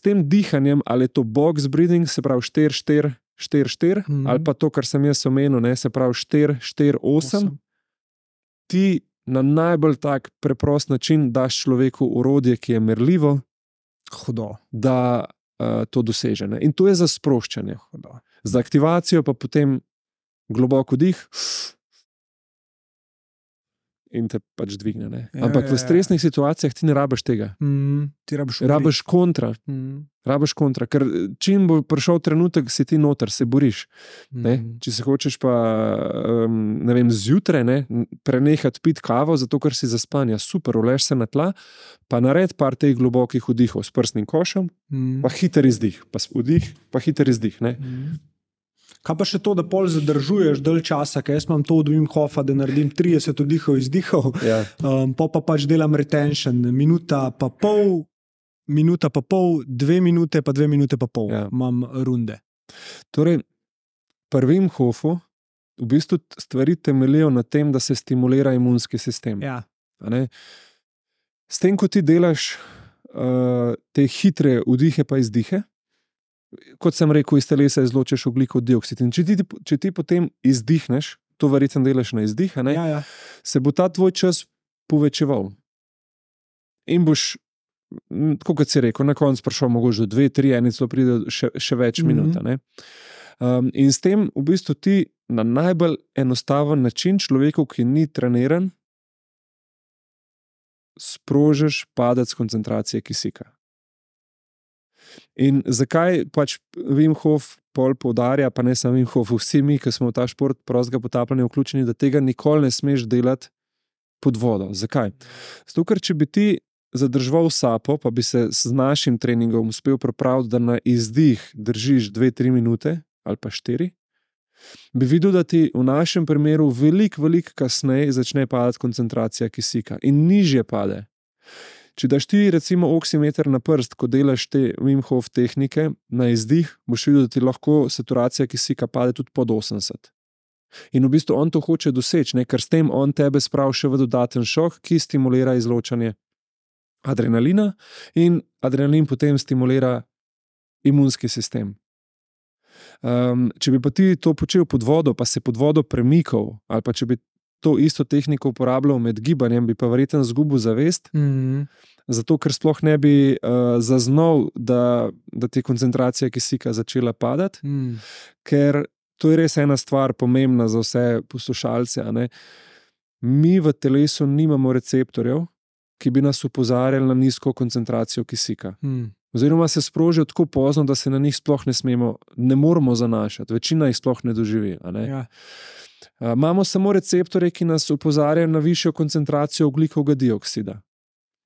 [SPEAKER 1] tem dihanjem, ali je to box breathing, se pravi 4-4-4-4, ali pa to, kar sem jaz omenil, ne, se pravi 4-4-8, ti na najbolj tak preprost način daš človeku orodje, ki je merljivo, da to doseže. Ne? In to je za sproščanje. Za aktivacijo pa potem globoko dih in te pač dvigne. Ne? Ampak v stresnih situacijah ti ne rabiš tega.
[SPEAKER 3] Ti
[SPEAKER 1] rabiš kontra. Rabiš kontra, ker čim bo prišel trenutek, si ti noter, se boriš. Če se hočeš pa, ne vem, zjutraj prenehati piti kavo, zato ker si zaspan, ja super, uleš se na tla, pa naredi par teh globokih vdihov s prstnim košem, pa hiter izdih, pa vdih, pa hiter izdih.
[SPEAKER 3] Kaj pa še to, da pol zadržuješ dalj časa, ker jaz imam to od Wim Hofa, da naredim 30 vdihov, izdihov, pa pač delam retention, minuta pa pol, 2 minute, pa 2 minute pa pol, imam runde.
[SPEAKER 1] Torej, pri Wim Hofu v bistvu stvari temeljijo na tem, da se stimulira imunski sistem.
[SPEAKER 3] Ja.
[SPEAKER 1] S tem, ko ti delaš te hitre vdihe pa izdihe, kot sem rekel, iz telesa izločiš ogljikov dioksid. In če ti potem izdihneš, to verjetno delaš na izdih, se bo ta tvoj čas povečeval. In boš, tako kot si rekel, na koncu prišel mogoče do 2-3, eni celo pride še več minut. In s tem v bistvu ti na najbolj enostaven način človeku, ki ni treniran, sprožiš padec koncentracije kisika. In zakaj pač Wim Hof pol poudarja, pa ne samo Wim Hof, vsi mi, ki smo v ta šport prostega potapljanja vključeni, da tega nikoli ne smeš delati pod vodo. Zakaj? Zato, ker če bi ti zadržal sapo, pa bi se z našim treningom uspel pripraviti, da na izdih držiš 2-3 minute ali pa 4, bi videl, da ti v našem primeru veliko kasneje začne padati koncentracija kisika in nižje pade. Če daš ti recimo oksimeter na prst, ko delaš te Wim Hof tehnike, na izdih boš videl, da ti lahko saturacija kisika pade tudi pod 80. In v bistvu on to hoče doseči, ker s tem on tebe spravi še v dodaten šok, ki stimulira izločanje adrenalina in adrenalin potem stimulira imunski sistem. Če bi pa ti to počel pod vodo, pa se pod vodo premikal, ali pa če bi to isto tehniko uporabljal med gibanjem, bi pa verjetno izgubil zavest, zato ker sploh ne bi zaznal, da ti je koncentracija kisika začela padati, ker to je res ena stvar pomembna za vse poslušalce. Mi v telesu nimamo receptorjev, ki bi nas opozarjali na nizko koncentracijo kisika. Oziroma se sprožijo tako pozno, da se na njih sploh ne moramo zanašati. Večina jih sploh ne doživi. Imamo samo receptorje, ki nas opozarjajo na višjo koncentracijo ogljikovega dioksida.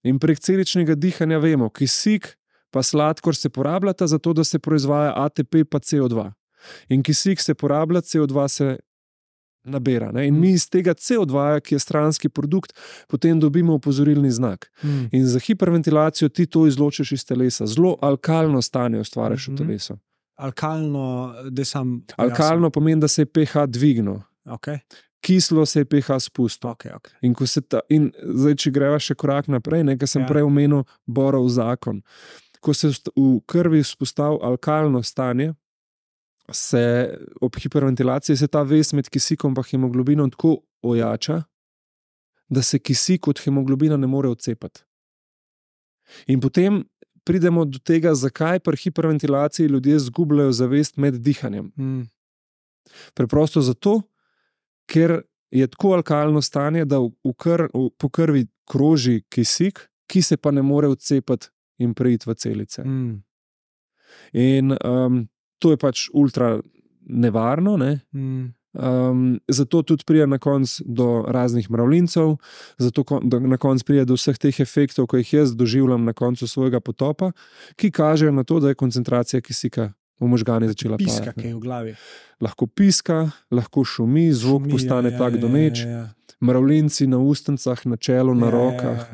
[SPEAKER 1] In prek celičnega dihanja vemo, kisik pa sladkor se porabljata zato, da se proizvaja ATP pa CO2. In kisik se porablja, CO2 se nabira. In mi iz tega CO2, ki je stranski produkt, potem dobimo opozorilni znak. In za hiperventilacijo ti to izločiš iz telesa. Zelo alkalno stanje ustvariš v telesu. Alkalno pomeni, da se je pH dvignil. Kislo se je pH spustil. In zdaj, če greva še korak naprej, ker sem prej omenil Borov zakon. Ko se v krvi vzpostavi alkalno stanje, se ob hiperventilaciji se ta vez med kisikom in hemoglobinom tako ojača, da se kisik od hemoglobina ne more odcepati. In potem pridemo do tega, zakaj pri hiperventilaciji ljudje izgubljajo zavest med dihanjem. Preprosto zato, ker je tako alkalno stanje, da po krvi kroži kisik, ki se pa ne more odcepati in preiti v celice. In to je pač ultra nevarno, zato tudi pride na koncu do raznih mravljincev, zato na koncu pride do vseh teh efektov, ko jih jaz doživljam na koncu svojega potopa, ki kažejo na to, da je koncentracija kisika v možgani začela padati.
[SPEAKER 3] Piska, ki je v glavi.
[SPEAKER 1] Lahko piska, lahko šumi, zvok postane tak doneč. mravljinci na ustnicah, na čelu, na rokah.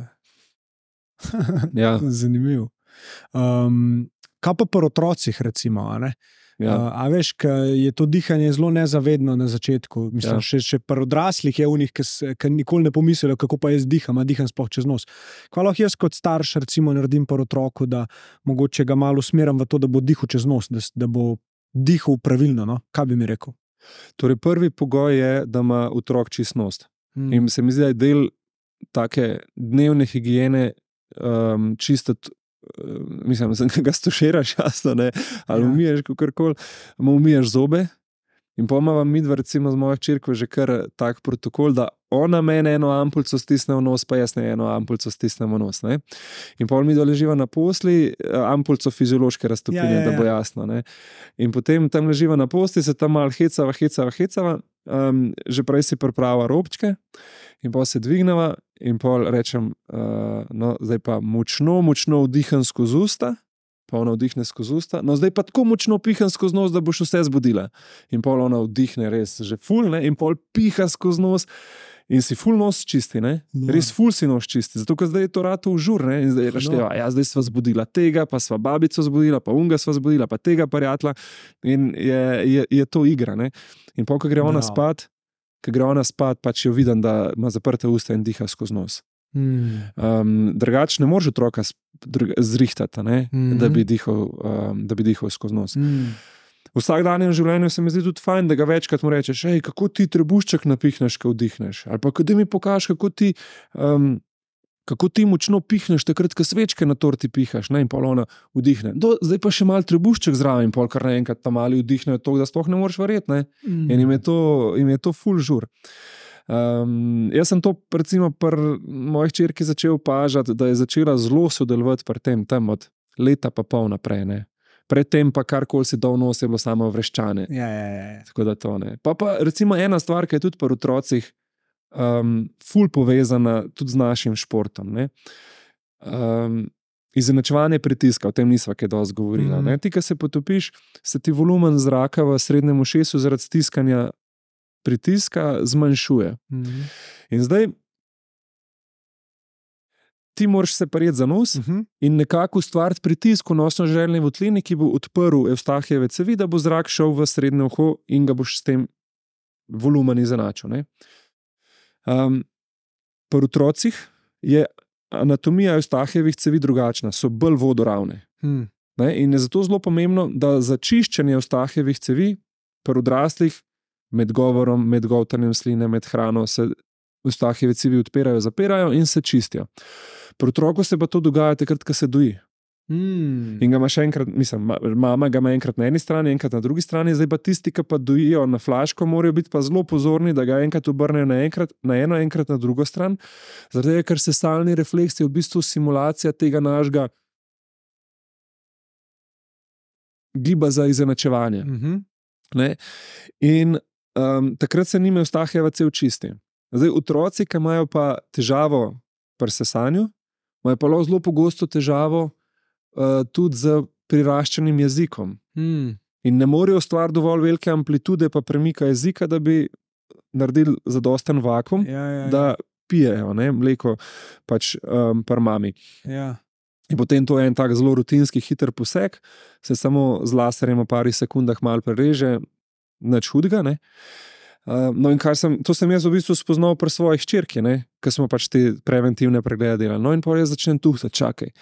[SPEAKER 1] Ja.
[SPEAKER 3] Zanimivo. Kaj pa pri otrocih, recimo? A ne? A veš, je to dihanje zelo nezavedno na začetku. Mislim, še pri odraslih je unih, ki nikoli ne pomislijo, kako pa jaz diham, a diham sploh čez nos. Kaj lahko jaz kot starš recimo naredim pri otroku, da mogoče ga malo usmerim v to, da bo dihal čez nos, da bo dihal pravilno, no? Kaj bi mi rekel?
[SPEAKER 1] Torej, prvi pogoj je, da ima otrok čist nos. In se mi zdi, da je del take dnevne higiene čistiti, mislim, da ga stuširaš, jasno, ne, ali umiješ kakorkoli, umiješ zobe in pomava midva recimo z mojo hčerko že kar tak protokol, da ona mene eno ampulco stisne v nos, pa jaz ne eno ampulco stisnem v nos, ne. In pol midva leživa na posli, ampulco fiziološke raztopine, da bo jasno, ne. In potem tam leživa na posli, se tam malo hecava, že prej si priprava robčke in pol se dvigneva in pol rečem, no, zdaj pa močno vdiham skozi usta, pa ona vdihne skozi usta, no, zdaj pa tako močno piham skozi nos, da boš vse zbudila. In pol ona vdihne res že ful, ne, in pol piha skozi nos in si ful nos čisti, ne, res ful si nos čisti, zato ker zdaj je to rato v žur, ne, in zdaj rašteva, zdaj sva zbudila tega, pa sva babico zbudila, pa unga sva zbudila, pa tega prijatla in je to igra, ne. In pol, ko gre ona spat, pač jo vidim, da ima zaprte usta in diha skozi nos. Drugače ne moreš otroka zrihtati, ne, da bi dihal skozi nos. V vsakdanjem življenju se mi zdi tudi fajn, da ga večkrat mu rečeš, kako ti trebušček napihneš, ko vdihneš, ali pa da mi pokažeš, kako ti močno pihneš takrat, ko svečke na torti pihaš, ne, in pol ona vdihne. Zdaj pa še malo trebušček zraven, pol kar naenkrat tam mali vdihnejo toliko, da sploh ne moreš verjeti, ne. In jim je to ful žur. Jaz sem to recimo pri moji hčerki začel opažati, da je začela zelo sodelovati pri tem, tam od leta pa pol naprej, ne. Predtem pa karkoli si dal nos, je bilo samo vreščane. Tako da to ne. Pa recimo ena stvar, ki je tudi pri otrocih ful povezana tudi z našim športom, ne. Izenačevanje pritiska, o tem nisva kaj dosti govorila, ne. Ti, ko se potopiš, se ti volumen zraka v srednjem ušesu zaradi stiskanja pritiska zmanjšuje. In zdaj ti moraš se prijeti za nos in nekako ustvariti pritisk v nosno-željni votlini, ki bo odprl Evstahijeve cevi, da bo zrak šel v srednje uho in ga boš s tem volumen izenačil, ne. Pri otrocih je anatomija Evstahijevih cevi drugačna, so bolj vodoravne. Ne? In je zato zelo pomembno, da za čiščenje Evstahijevih cevi pri odraslih med govorom, med goltanjem sline, med hrano se Evstahijeve cevi odpirajo, zapirajo in se čistijo. Pri otroku se pa to dogaja takrat, ko se doji. In ga ima še enkrat, mislim, mama ga ima enkrat na eni strani, enkrat na drugi strani, zdaj pa tisti, ki pa dojijo na flaško, morajo biti pa zelo pozorni, da ga enkrat obrnejo na eno, enkrat na drugo stran, zaradi tega, ker sesalni refleks je v bistvu simulacija tega našega giba za izenačevanje. Ne? In takrat se njime Evstahijeva cev čisti. Zdaj, otroci, ki imajo pa težavo pri sesanju, imajo pa zelo pogosto težavo tudi z priraščenim jezikom. In ne morejo ustvariti dovolj velike amplitude pa premika jezika, da bi naredili zadosten vakuum, da pijejo, ne, mleko pač pri mami. In potem to je en tak zelo rutinski, hiter poseg, se samo z laserjem v pari sekundah malo prereže, nič hudega, ne. No in to sem jaz v bistvu spoznal pri svoji hčerki, ne, ker smo pač te preventivne preglede delali. No in pa jaz začnem tuhtati, čakaj,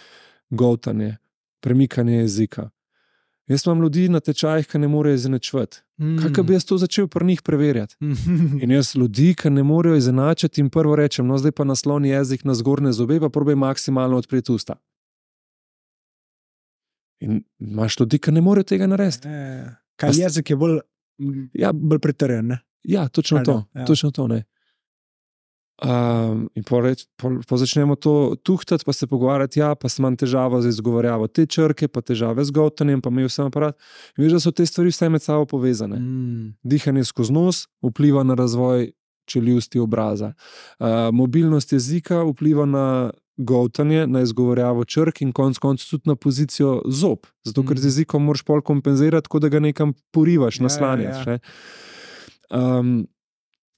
[SPEAKER 1] goltanje, premikanje jezika. Jaz imam ljudi na tečajih, ki ne morejo izenačevati. Kako bi jaz to začel pri njih preverjati? In jaz ljudi, ki ne morejo izenačiti, in prvo rečem, no zdaj pa nasloni jezik na zgornje zobe, pa probaj maksimalno odpreti usta. In imaš ljudi, ki ne morejo tega narediti.
[SPEAKER 3] Kaj jezik je bolj pritrjen, ne?
[SPEAKER 1] Ja, točno to, ne. In pa začnemo to tuhtati, pa se pogovarjati, pa sem imam težavo z izgovorjavo te črke, pa težave z goltanjem, pa imel sem aparat. In veš, da so te stvari vse med sabo povezane. Dihanje skozi nos vpliva na razvoj čeljusti obraza. Mobilnost jezika vpliva na goltanje, na izgovorjavo črk in konec koncev tudi na pozicijo zob. Zato, ker z jezikom moraš pol kompenzirati, tako da ga nekam porivaš, naslanjaš.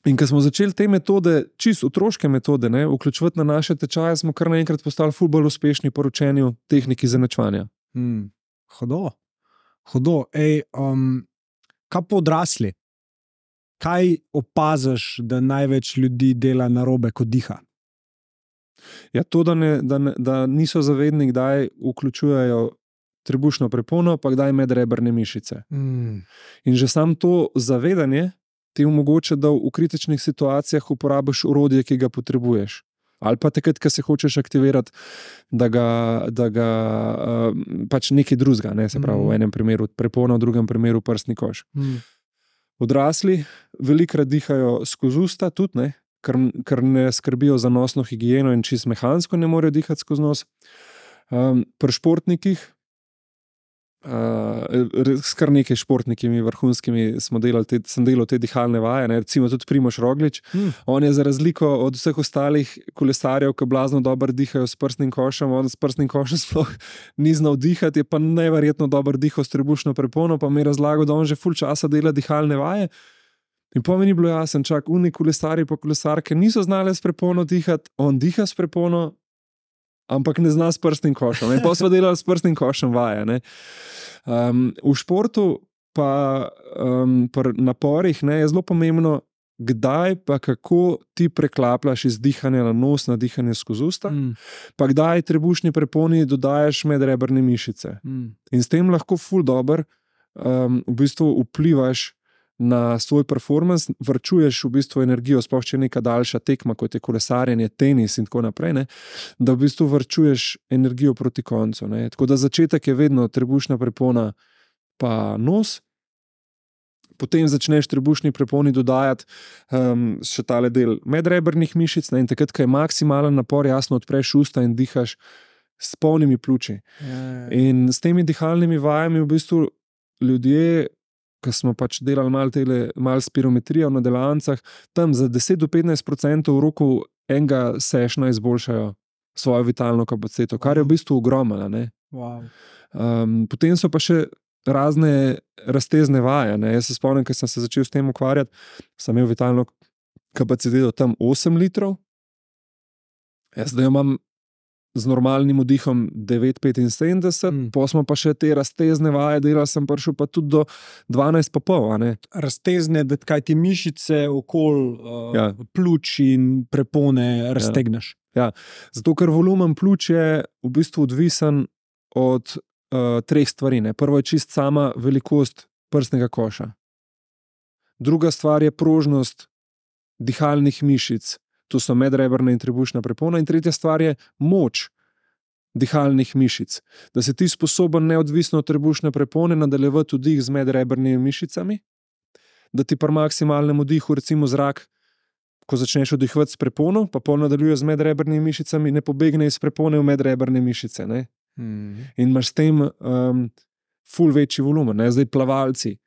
[SPEAKER 1] In ko smo začeli te metode, čisto otroške metode, vključevati na naše tečaje, smo kar naenkrat postali ful bolj uspešni po učenju tehniki izenačevanja.
[SPEAKER 3] Hudo. Kaj po odrasli? Kaj opaziš, da največ ljudi dela narobe, ko diha?
[SPEAKER 1] Ja, to, da niso zavedni, kdaj vključujejo trebušno prepono, pa kdaj medrebrne mišice. In že samo to zavedanje ti omogoča, da v kritičnih situacijah uporabiš orodje, ki ga potrebuješ. Ali pa takrat, ko se hočeš aktivirati, da ga pač nekaj drugega, se pravi v enem primeru prepona, v drugem primeru prsni koš. Odrasli velikokrat dihajo skozi usta tudi, ker ne skrbijo za nosno higieno in čisto mehansko ne morejo dihati skozi nos. Pri športnikih, s kar nekaj športnikimi vrhunskimi sem delal te dihalne vaje, recimo tudi Primož Roglič. On je za razliko od vseh ostalih kolesarjev, ki blazno dobro dihajo s prsnim košem, on s prsnim košem sploh ni znal dihati, je pa neverjetno dobro dihal s trebušno prepono, pa mi je razlagal, da on že ful časa dela dihalne vaje. In po meni bilo jasno, oni kolesarji pa kolesarke niso znali s prepono dihati, on diha s prepono, ampak ne zna s prsnim košem. Pa smo delali s prsnim košem vaje. V športu pa pri naporih je zelo pomembno, kdaj pa kako ti preklapljaš iz dihanja na nos na dihanje skozi usta, pa kdaj trebušni preponi dodajaš medrebrne mišice. In s tem lahko ful dober v bistvu vplivaš na svoj performance, vrčuješ v bistvu energijo, sploh če je neka daljša tekma, kot je kolesarjenje, tenis in tako naprej, da v bistvu vrčuješ energijo proti koncu. Tako da začetek je vedno trebušna prepona pa nos, potem začneš trebušni preponi dodajati še tale del medrebrnih mišic, in takrat, ko je maksimalen napor, jasno odpreš usta in dihaš s polnimi pljuči. In s temi dihalnimi vajami v bistvu ljudje, ko smo pač delali malo spirometrije v delavnicah, tam za 10-15% v roku enega sešna izboljšajo svojo vitalno kapaciteto, kar je v bistvu ogromno.
[SPEAKER 3] Wow.
[SPEAKER 1] Potem so pa še razne raztezne vaje. Jaz se spomnim, ko sem se začel s tem ukvarjati, sem imel vitalno kapaciteto tam 8 litrov. Jaz zdaj imam z normalnim vdihom 9,75, pa smo pa še te raztezne vaje delali, sem prišel pa tudi do 12,5.
[SPEAKER 3] Raztezne, da kaj ti mišice okoli pljuč in prepone raztegneš.
[SPEAKER 1] Ja, zato ker volumen pljuč je v bistvu odvisen od 3 stvari. Prvo je čist sama velikost prsnega koša. Druga stvar je prožnost dihalnih mišic, to so medrebrna in trebušna prepona, in tretja stvar je moč dihalnih mišic. Da si ti sposoben neodvisno od trebušne prepone nadaljevati vdih z medrebrnimi mišicami, da ti pri maksimalnem vdihu recimo zrak, ko začneš vdihovati s prepono, pa pol nadaljuje z medrebrnimi mišicami, ne pobegne iz prepone v medrebrne mišice. In imaš s tem ful večji volumen. Zdaj plavalci.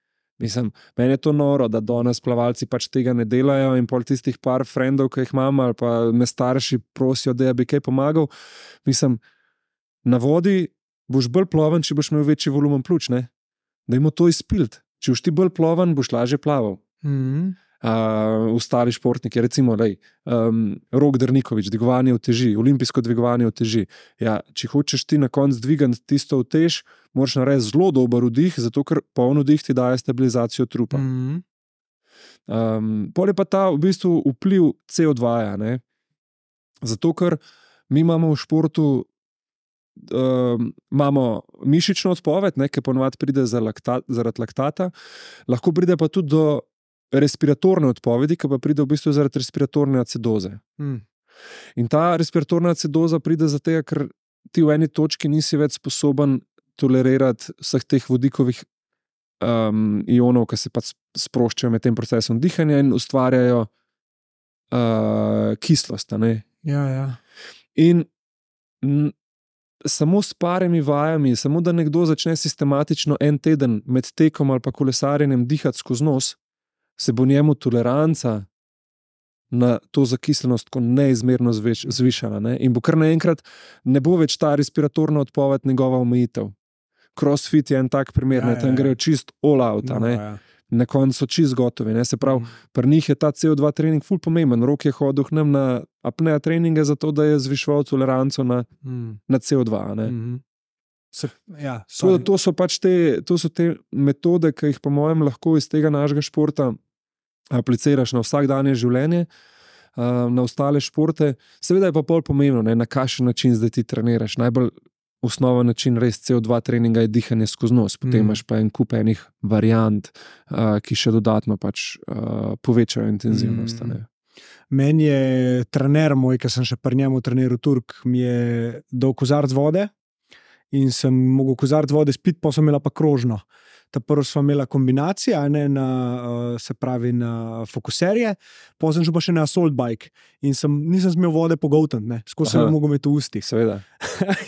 [SPEAKER 1] Meni je to noro, da danes plavalci pač tega ne delajo in pol tistih par frendov, ki jih imam, ali pa me starši prosijo, da bi kaj pomagal. Na vodi boš bolj ploven, če boš imel večji volumen pljuč. Dajmo to izpiliti. Če boš ti bolj ploven, boš lažje plaval. Ostali športniki, recimo Rok Drniković, dvigovanje uteži, olimpijsko dvigovanje uteži. Ja, če hočeš ti na koncu dvigati tisto utež, moraš narediti zelo dober vdih, zato ker poln vdih ti daje stabilizacijo trupa. Pol je pa ta v bistvu vpliv CO2. Zato ker mi imamo v športu imamo mišično odpoved, ki ponovadi pride zaradi laktata, lahko pride pa tudi do respiratorne odpovedi, ki pa pride v bistvu zaradi respiratorne acidoze. In ta respiratorna acidoza pride zato, ker ti v eni točki nisi več sposoben tolerirati vseh teh vodikovih ionov, ki se pač sproščajo med tem procesom dihanja in ustvarjajo kislost.
[SPEAKER 3] Ja.
[SPEAKER 1] In samo s parimi vajami, samo da nekdo začne sistematično en teden med tekom ali pa kolesarjenjem dihati skozi nos, se bo njemu toleranca na to zakislenost neizmerno zvišala. In bo kar naenkrat ne bo več ta respiratorna odpoved njegova omejitev. Crossfit je en tak primer, tam grejo čist all out. na koncu so čist gotovi. Ne? Se pravi, pri njih je ta CO2 trening ful pomemben. Rok je hodil k nam na apnea treninge zato, da je zviševal toleranco na CO2. Ne? To so pač te metode, ki jih po mojem lahko iz tega našega športa apliciraš na vsakdanje življenje, na ostale športe. Seveda je pa pol pomembno, ne, na kakšen način zdaj ti treniraš. Najbolj osnoven način res CO2 treninga je dihanje skozi nos, potem imaš pa en kup enih variant, ki še dodatno pač povečajo intenzivnost. Ne.
[SPEAKER 3] Meni je trener moj, ki sem še pri njemu treniral Turk, mi je dal kozarc vode in sem mogel kozarc vode spiti, pa sem imela pa krožno. Ta prvo sva imela kombinacija, ne, se pravi na fokuserje, potem sem šel pa še na assault bike in nisem smel vode pogoltniti, skozi sem mogel imeti v ustih.
[SPEAKER 1] Seveda.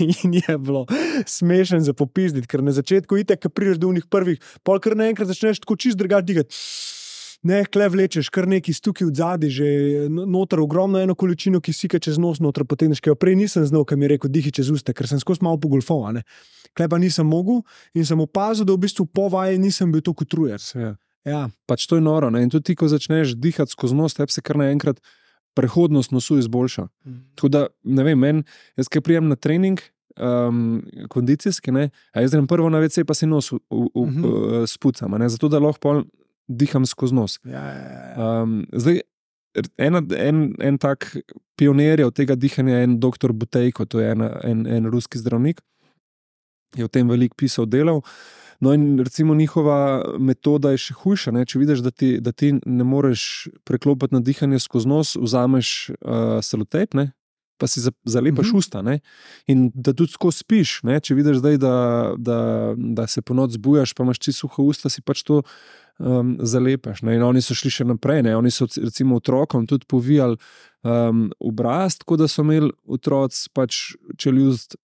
[SPEAKER 3] In je bilo smešen za popizditi, ker na začetku itek, ko prideš do unih prvih, pol kar naenkrat začneš tako čist drugače digati. Ne, kle vlečeš, kar neki stuki od zadaj, že noter ogromno eno količino kisika čez nos noter potegneš, ki jo prej nisem znal, kaj mi je rekel, dihi čez usta, ker sem skozi malo pogolfal, Kle pa nisem mogel in sem opazil, da v bistvu po vaji nisem bil toliko utrujen. Ja.
[SPEAKER 1] Pač to je noro, ne? In tudi ti, ko začneš dihati skozi nos, tebi se kar naenkrat prehodnost nosu izboljša. Tako da, ne vem, jaz kaj prijem na trening, kondicijski, a jaz grem prvo na WC, pa si nos spucam, zato da lahko pol diham skozi nos. Zdaj, en tak pionir od tega dihanja je en doktor Butejko, to je en ruski zdravnik, je o tem veliko pisal, delal. No in recimo njihova metoda je še hujša, če vidiš, da ti ne moreš preklopiti na dihanje skozi nos, vzameš selotejp, pa si zalepaš usta, in da tudi tako spiš, če vidiš zdaj, da se po noč zbujaš, pa imaš čisto suha usta, si pač to zalepaš. In oni so šli še naprej, oni so recimo otrokom tudi povijali obraz, tako da so imeli otroci pač čeljust,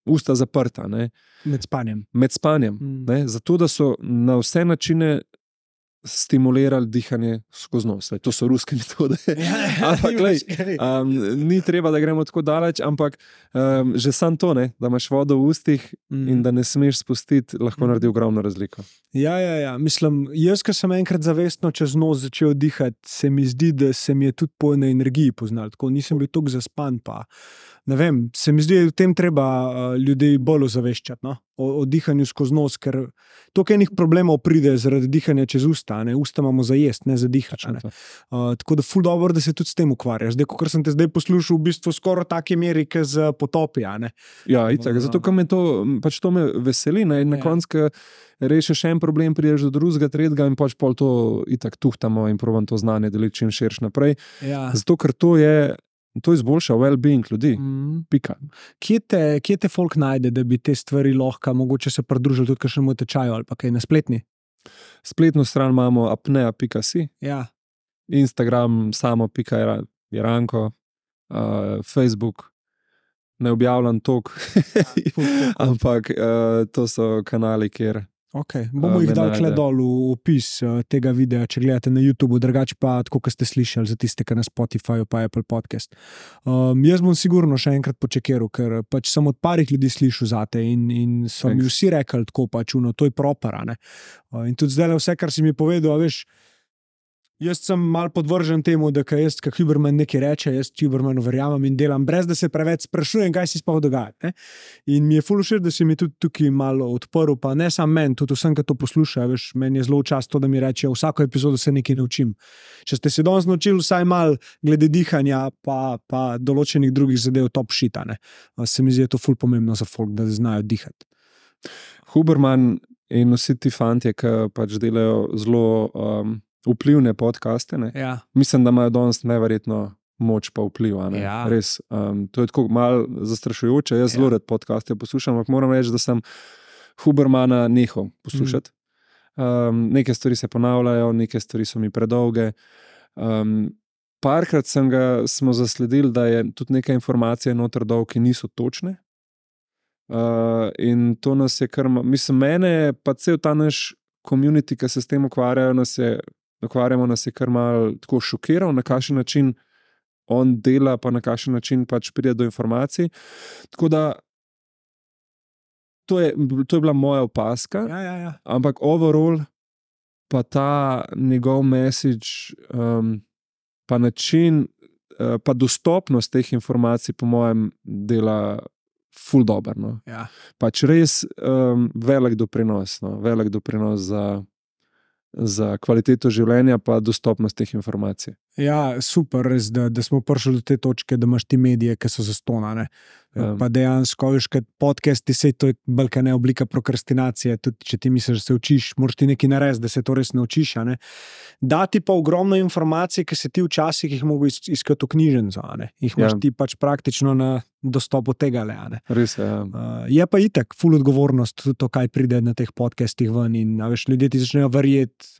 [SPEAKER 1] usta zaprta.
[SPEAKER 3] Med spanjem.
[SPEAKER 1] Zato, da so na vse načine stimulirali dihanje skozi nos. To so ruske metode. Ni treba, da gremo tako daleč, ampak že sam to, da imaš vodo v ustih in da ne smeš spustiti, lahko naredi ogromno razliko.
[SPEAKER 3] Ja. Mislim, jaz, ko sem enkrat zavestno čez nos začel dihati, se mi zdi, da se mi je tudi po eni energiji poznal. Tako nisem bil toliko zaspan, pa ne vem, se mi zdi, da v tem treba ljudi bolj ozaveščati, o dihanju skozi nos, ker toliko enih problemov pride zaradi dihanja čez usta, usta imamo za jest, ne za dihati. Tako da ful dobro, da se tudi s tem ukvarjaš. Zdaj, kot sem te zdaj poslušal, v bistvu skoraj take meri, kot z potopi.
[SPEAKER 1] Ja, itak, zato, ker me to me veseli, na koncu rešiš en problem, prideš do drugega, tretjega in pač pol to itak tuhtamo in probam to znanje deliti čim širš naprej.
[SPEAKER 3] Ja.
[SPEAKER 1] Zato, ker to izboljša well-being ljudi. Pika.
[SPEAKER 3] Kje te folk najde, da bi te stvari lahko mogoče se pridružili tudi kakšnemu tečaju ali pa kaj na spletni?
[SPEAKER 1] Spletno stran imamo apnea.si, Instagram samo.jeranko, Facebook, ne objavljam tok, ampak to so kanali, kjer
[SPEAKER 3] bomo jih dali kle dol v opis tega videa, če gledate na YouTube, drugače pa tako, kot ste slišali, za tiste, ki na Spotify pa Apple Podcast. Jaz bom sigurno še enkrat počekiral, ker pač sem od parih ljudi slišal zate in so mi vsi rekli tako pač, to je proper, in tudi zdaj vse, kar si mi povedal, veš, jaz sem mal podvržen temu, da jaz, kot Huberman nekaj reče, jaz Hubermanu verjamem in delam, brez da se preveč sprašujem, kaj si sploh dogaja. In mi je ful všeč, da si mi tudi tukaj malo odprl, pa ne samo meni, tudi vsem, ki to poslušajo, veš, meni je zelo čast to, da mi reče, vsako epizodo se nekaj naučim. Če ste se danes naučili vsaj mal glede dihanja, pa določenih drugih zadev top shit, se mi zdi, to ful pomembno za folk, da znajo dihati.
[SPEAKER 1] Huberman in vsi ti fantje, ki pač delajo zelo vplivne podcaste, mislim, da imajo danes neverjetno moč pa vpliv. Res, to je tako malo zastrašujoče, jaz zelo rad podcaste poslušam, ampak moram reči, da sem Hubermana nehal poslušati. Neke stvari se ponavljajo, neke stvari so mi predolge. Parkrat smo zasledili, da je tudi neka informacija noter dol, ki niso točne. In to nas je kar, mislim, mene pa cel ta naš community, ki se s tem ukvarjamo, nas je kar malo tako šokiral, na kakšen način on dela, pa na kakšen način pač pride do informacij. Tako da to je bila moja opaska,
[SPEAKER 3] Ja.
[SPEAKER 1] ampak overall pa ta njegov message, pa način, pa dostopnost teh informacij, po mojem, dela ful dober. No.
[SPEAKER 3] Ja.
[SPEAKER 1] Pač res velik doprinos, no. Velik doprinos za kvaliteto življenja, pa dostopnost teh informacij.
[SPEAKER 3] Ja, super, res, da smo prišli do te točke, da imaš ti medije, ki so zastonane. Pa dejansko, veš, kad podcasti, sej to je bolj ne oblika prokrastinacije, tudi če ti misliš, da se učiš, moraš ti nekaj narediti, da se to res naučiš. Ne? Dati pa ogromno informacij, ki se ti včasih jih mogo iskati v knjižnico, jih imaš ti pač praktično na dostopu tega le.
[SPEAKER 1] Res je, ja.
[SPEAKER 3] Je pa itak ful odgovornost tudi to, kaj pride na teh podcastih ven in veš, ljudje ti začnejo verjeti,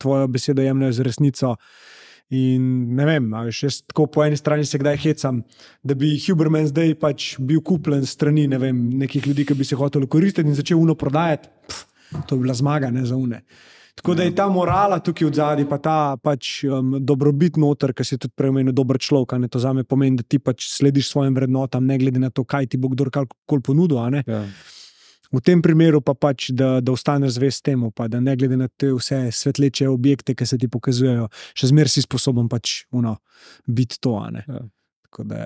[SPEAKER 3] tvojo besedo jemljajo z resnico. In ne vem, veš, jaz tako po eni strani se kdaj hecam, da bi Huberman zdaj pač bil kupljen strani, ne vem, nekih ljudi, ki bi se hoteli koristiti in začel uno prodajati, to bi bila zmaga, ne za une. Tako da je ta morala tukaj od zadaj, pa ta pač dobrobit noter, ki si tudi preomenil dober človek, ne, to zame pomeni, da ti pač slediš svojim vrednotam, ne glede na to, kaj ti bo kdorkoli ponudil, ne.
[SPEAKER 1] Ja.
[SPEAKER 3] V tem primeru pa pač, da ostaneš zvest temu, pa da ne glede na te vse svetleče objekte, ki se ti pokazujejo, še zmeraj si sposoben pač biti to.
[SPEAKER 1] Ja.
[SPEAKER 3] Tako da,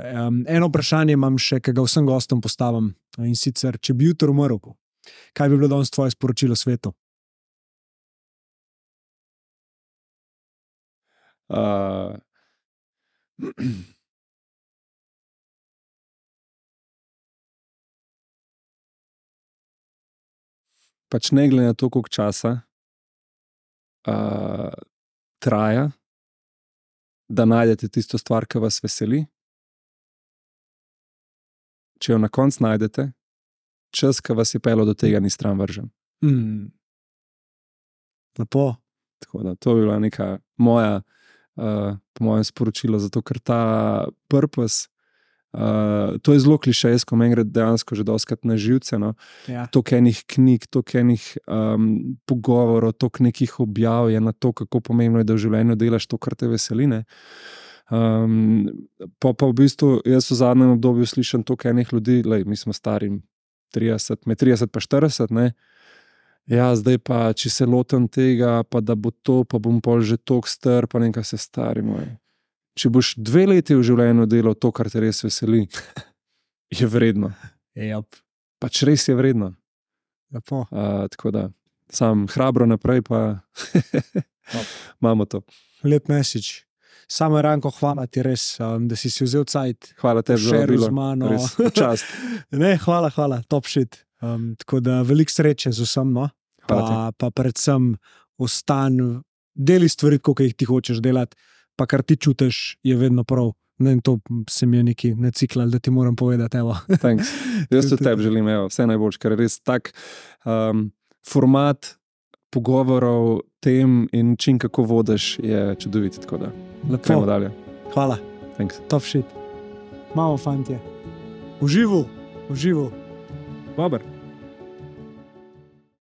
[SPEAKER 3] eno vprašanje imam še, ki ga vsem gostom postavim, in sicer, če bi jutri umrl, kaj bi bilo danes tvoje sporočilo svetu?
[SPEAKER 1] Pač ne glede na to, koliko časa traja, da najdete tisto stvar, ki vas veseli. Če jo na koncu najdete, čas, ki vas je pelil do tega, ni stran vržen.
[SPEAKER 3] Lepo.
[SPEAKER 1] Tako da to bi bila neka moja, po mojem sporočilo, zato ker ta purpose, to je zelo klišejsko, meni gre dejansko že dostikrat na živce, no.
[SPEAKER 3] Ja.
[SPEAKER 1] Toliko enih knjig, toliko enih pogovorov, toliko nekih objav je na to, kako pomembno je, da v življenju delaš to, kar te veseli, ne. Pa v bistvu jaz v zadnjem obdobju slišam toliko enih ljudi, lej, mi smo stari 30, med 30 pa 40, ne. Ja, zdaj pa, če se lotam tega, pa da bo to, pa bom pol že toliko star, pa nekaj se stari moj. Če boš 2 leti v življenju delal to, kar te res veseli, je vredno.
[SPEAKER 3] Yep.
[SPEAKER 1] Pač res je vredno.
[SPEAKER 3] Lepo.
[SPEAKER 1] Tako da, sam hrabro naprej, pa imamo to.
[SPEAKER 3] Lep message. Samo Ranko, hvala ti res, da si vzel cajt.
[SPEAKER 1] Hvala tebi za
[SPEAKER 3] Šeru
[SPEAKER 1] vabilo.
[SPEAKER 3] z mano.
[SPEAKER 1] Res, čast.
[SPEAKER 3] Ne, hvala, top shit. Tako da veliko sreče z vsem, no. Pa predvsem deli stvari, koliko jih ti hočeš delati, pa kar ti čutiš, je vedno prav. Ne, to se mi je nekaj naciklal, da ti moram povedati, evo.
[SPEAKER 1] Thanks. Jaz tudi tebi želim, evo, vse najboljše, ker je res tak format pogovorov, tem in način, kako vodiš, je čudovit, tako da.
[SPEAKER 3] Lepo.
[SPEAKER 1] Gremo dalje.
[SPEAKER 3] Hvala.
[SPEAKER 1] Thanks.
[SPEAKER 3] Top shit. Imamo, fantje. Uživo.
[SPEAKER 1] Dober.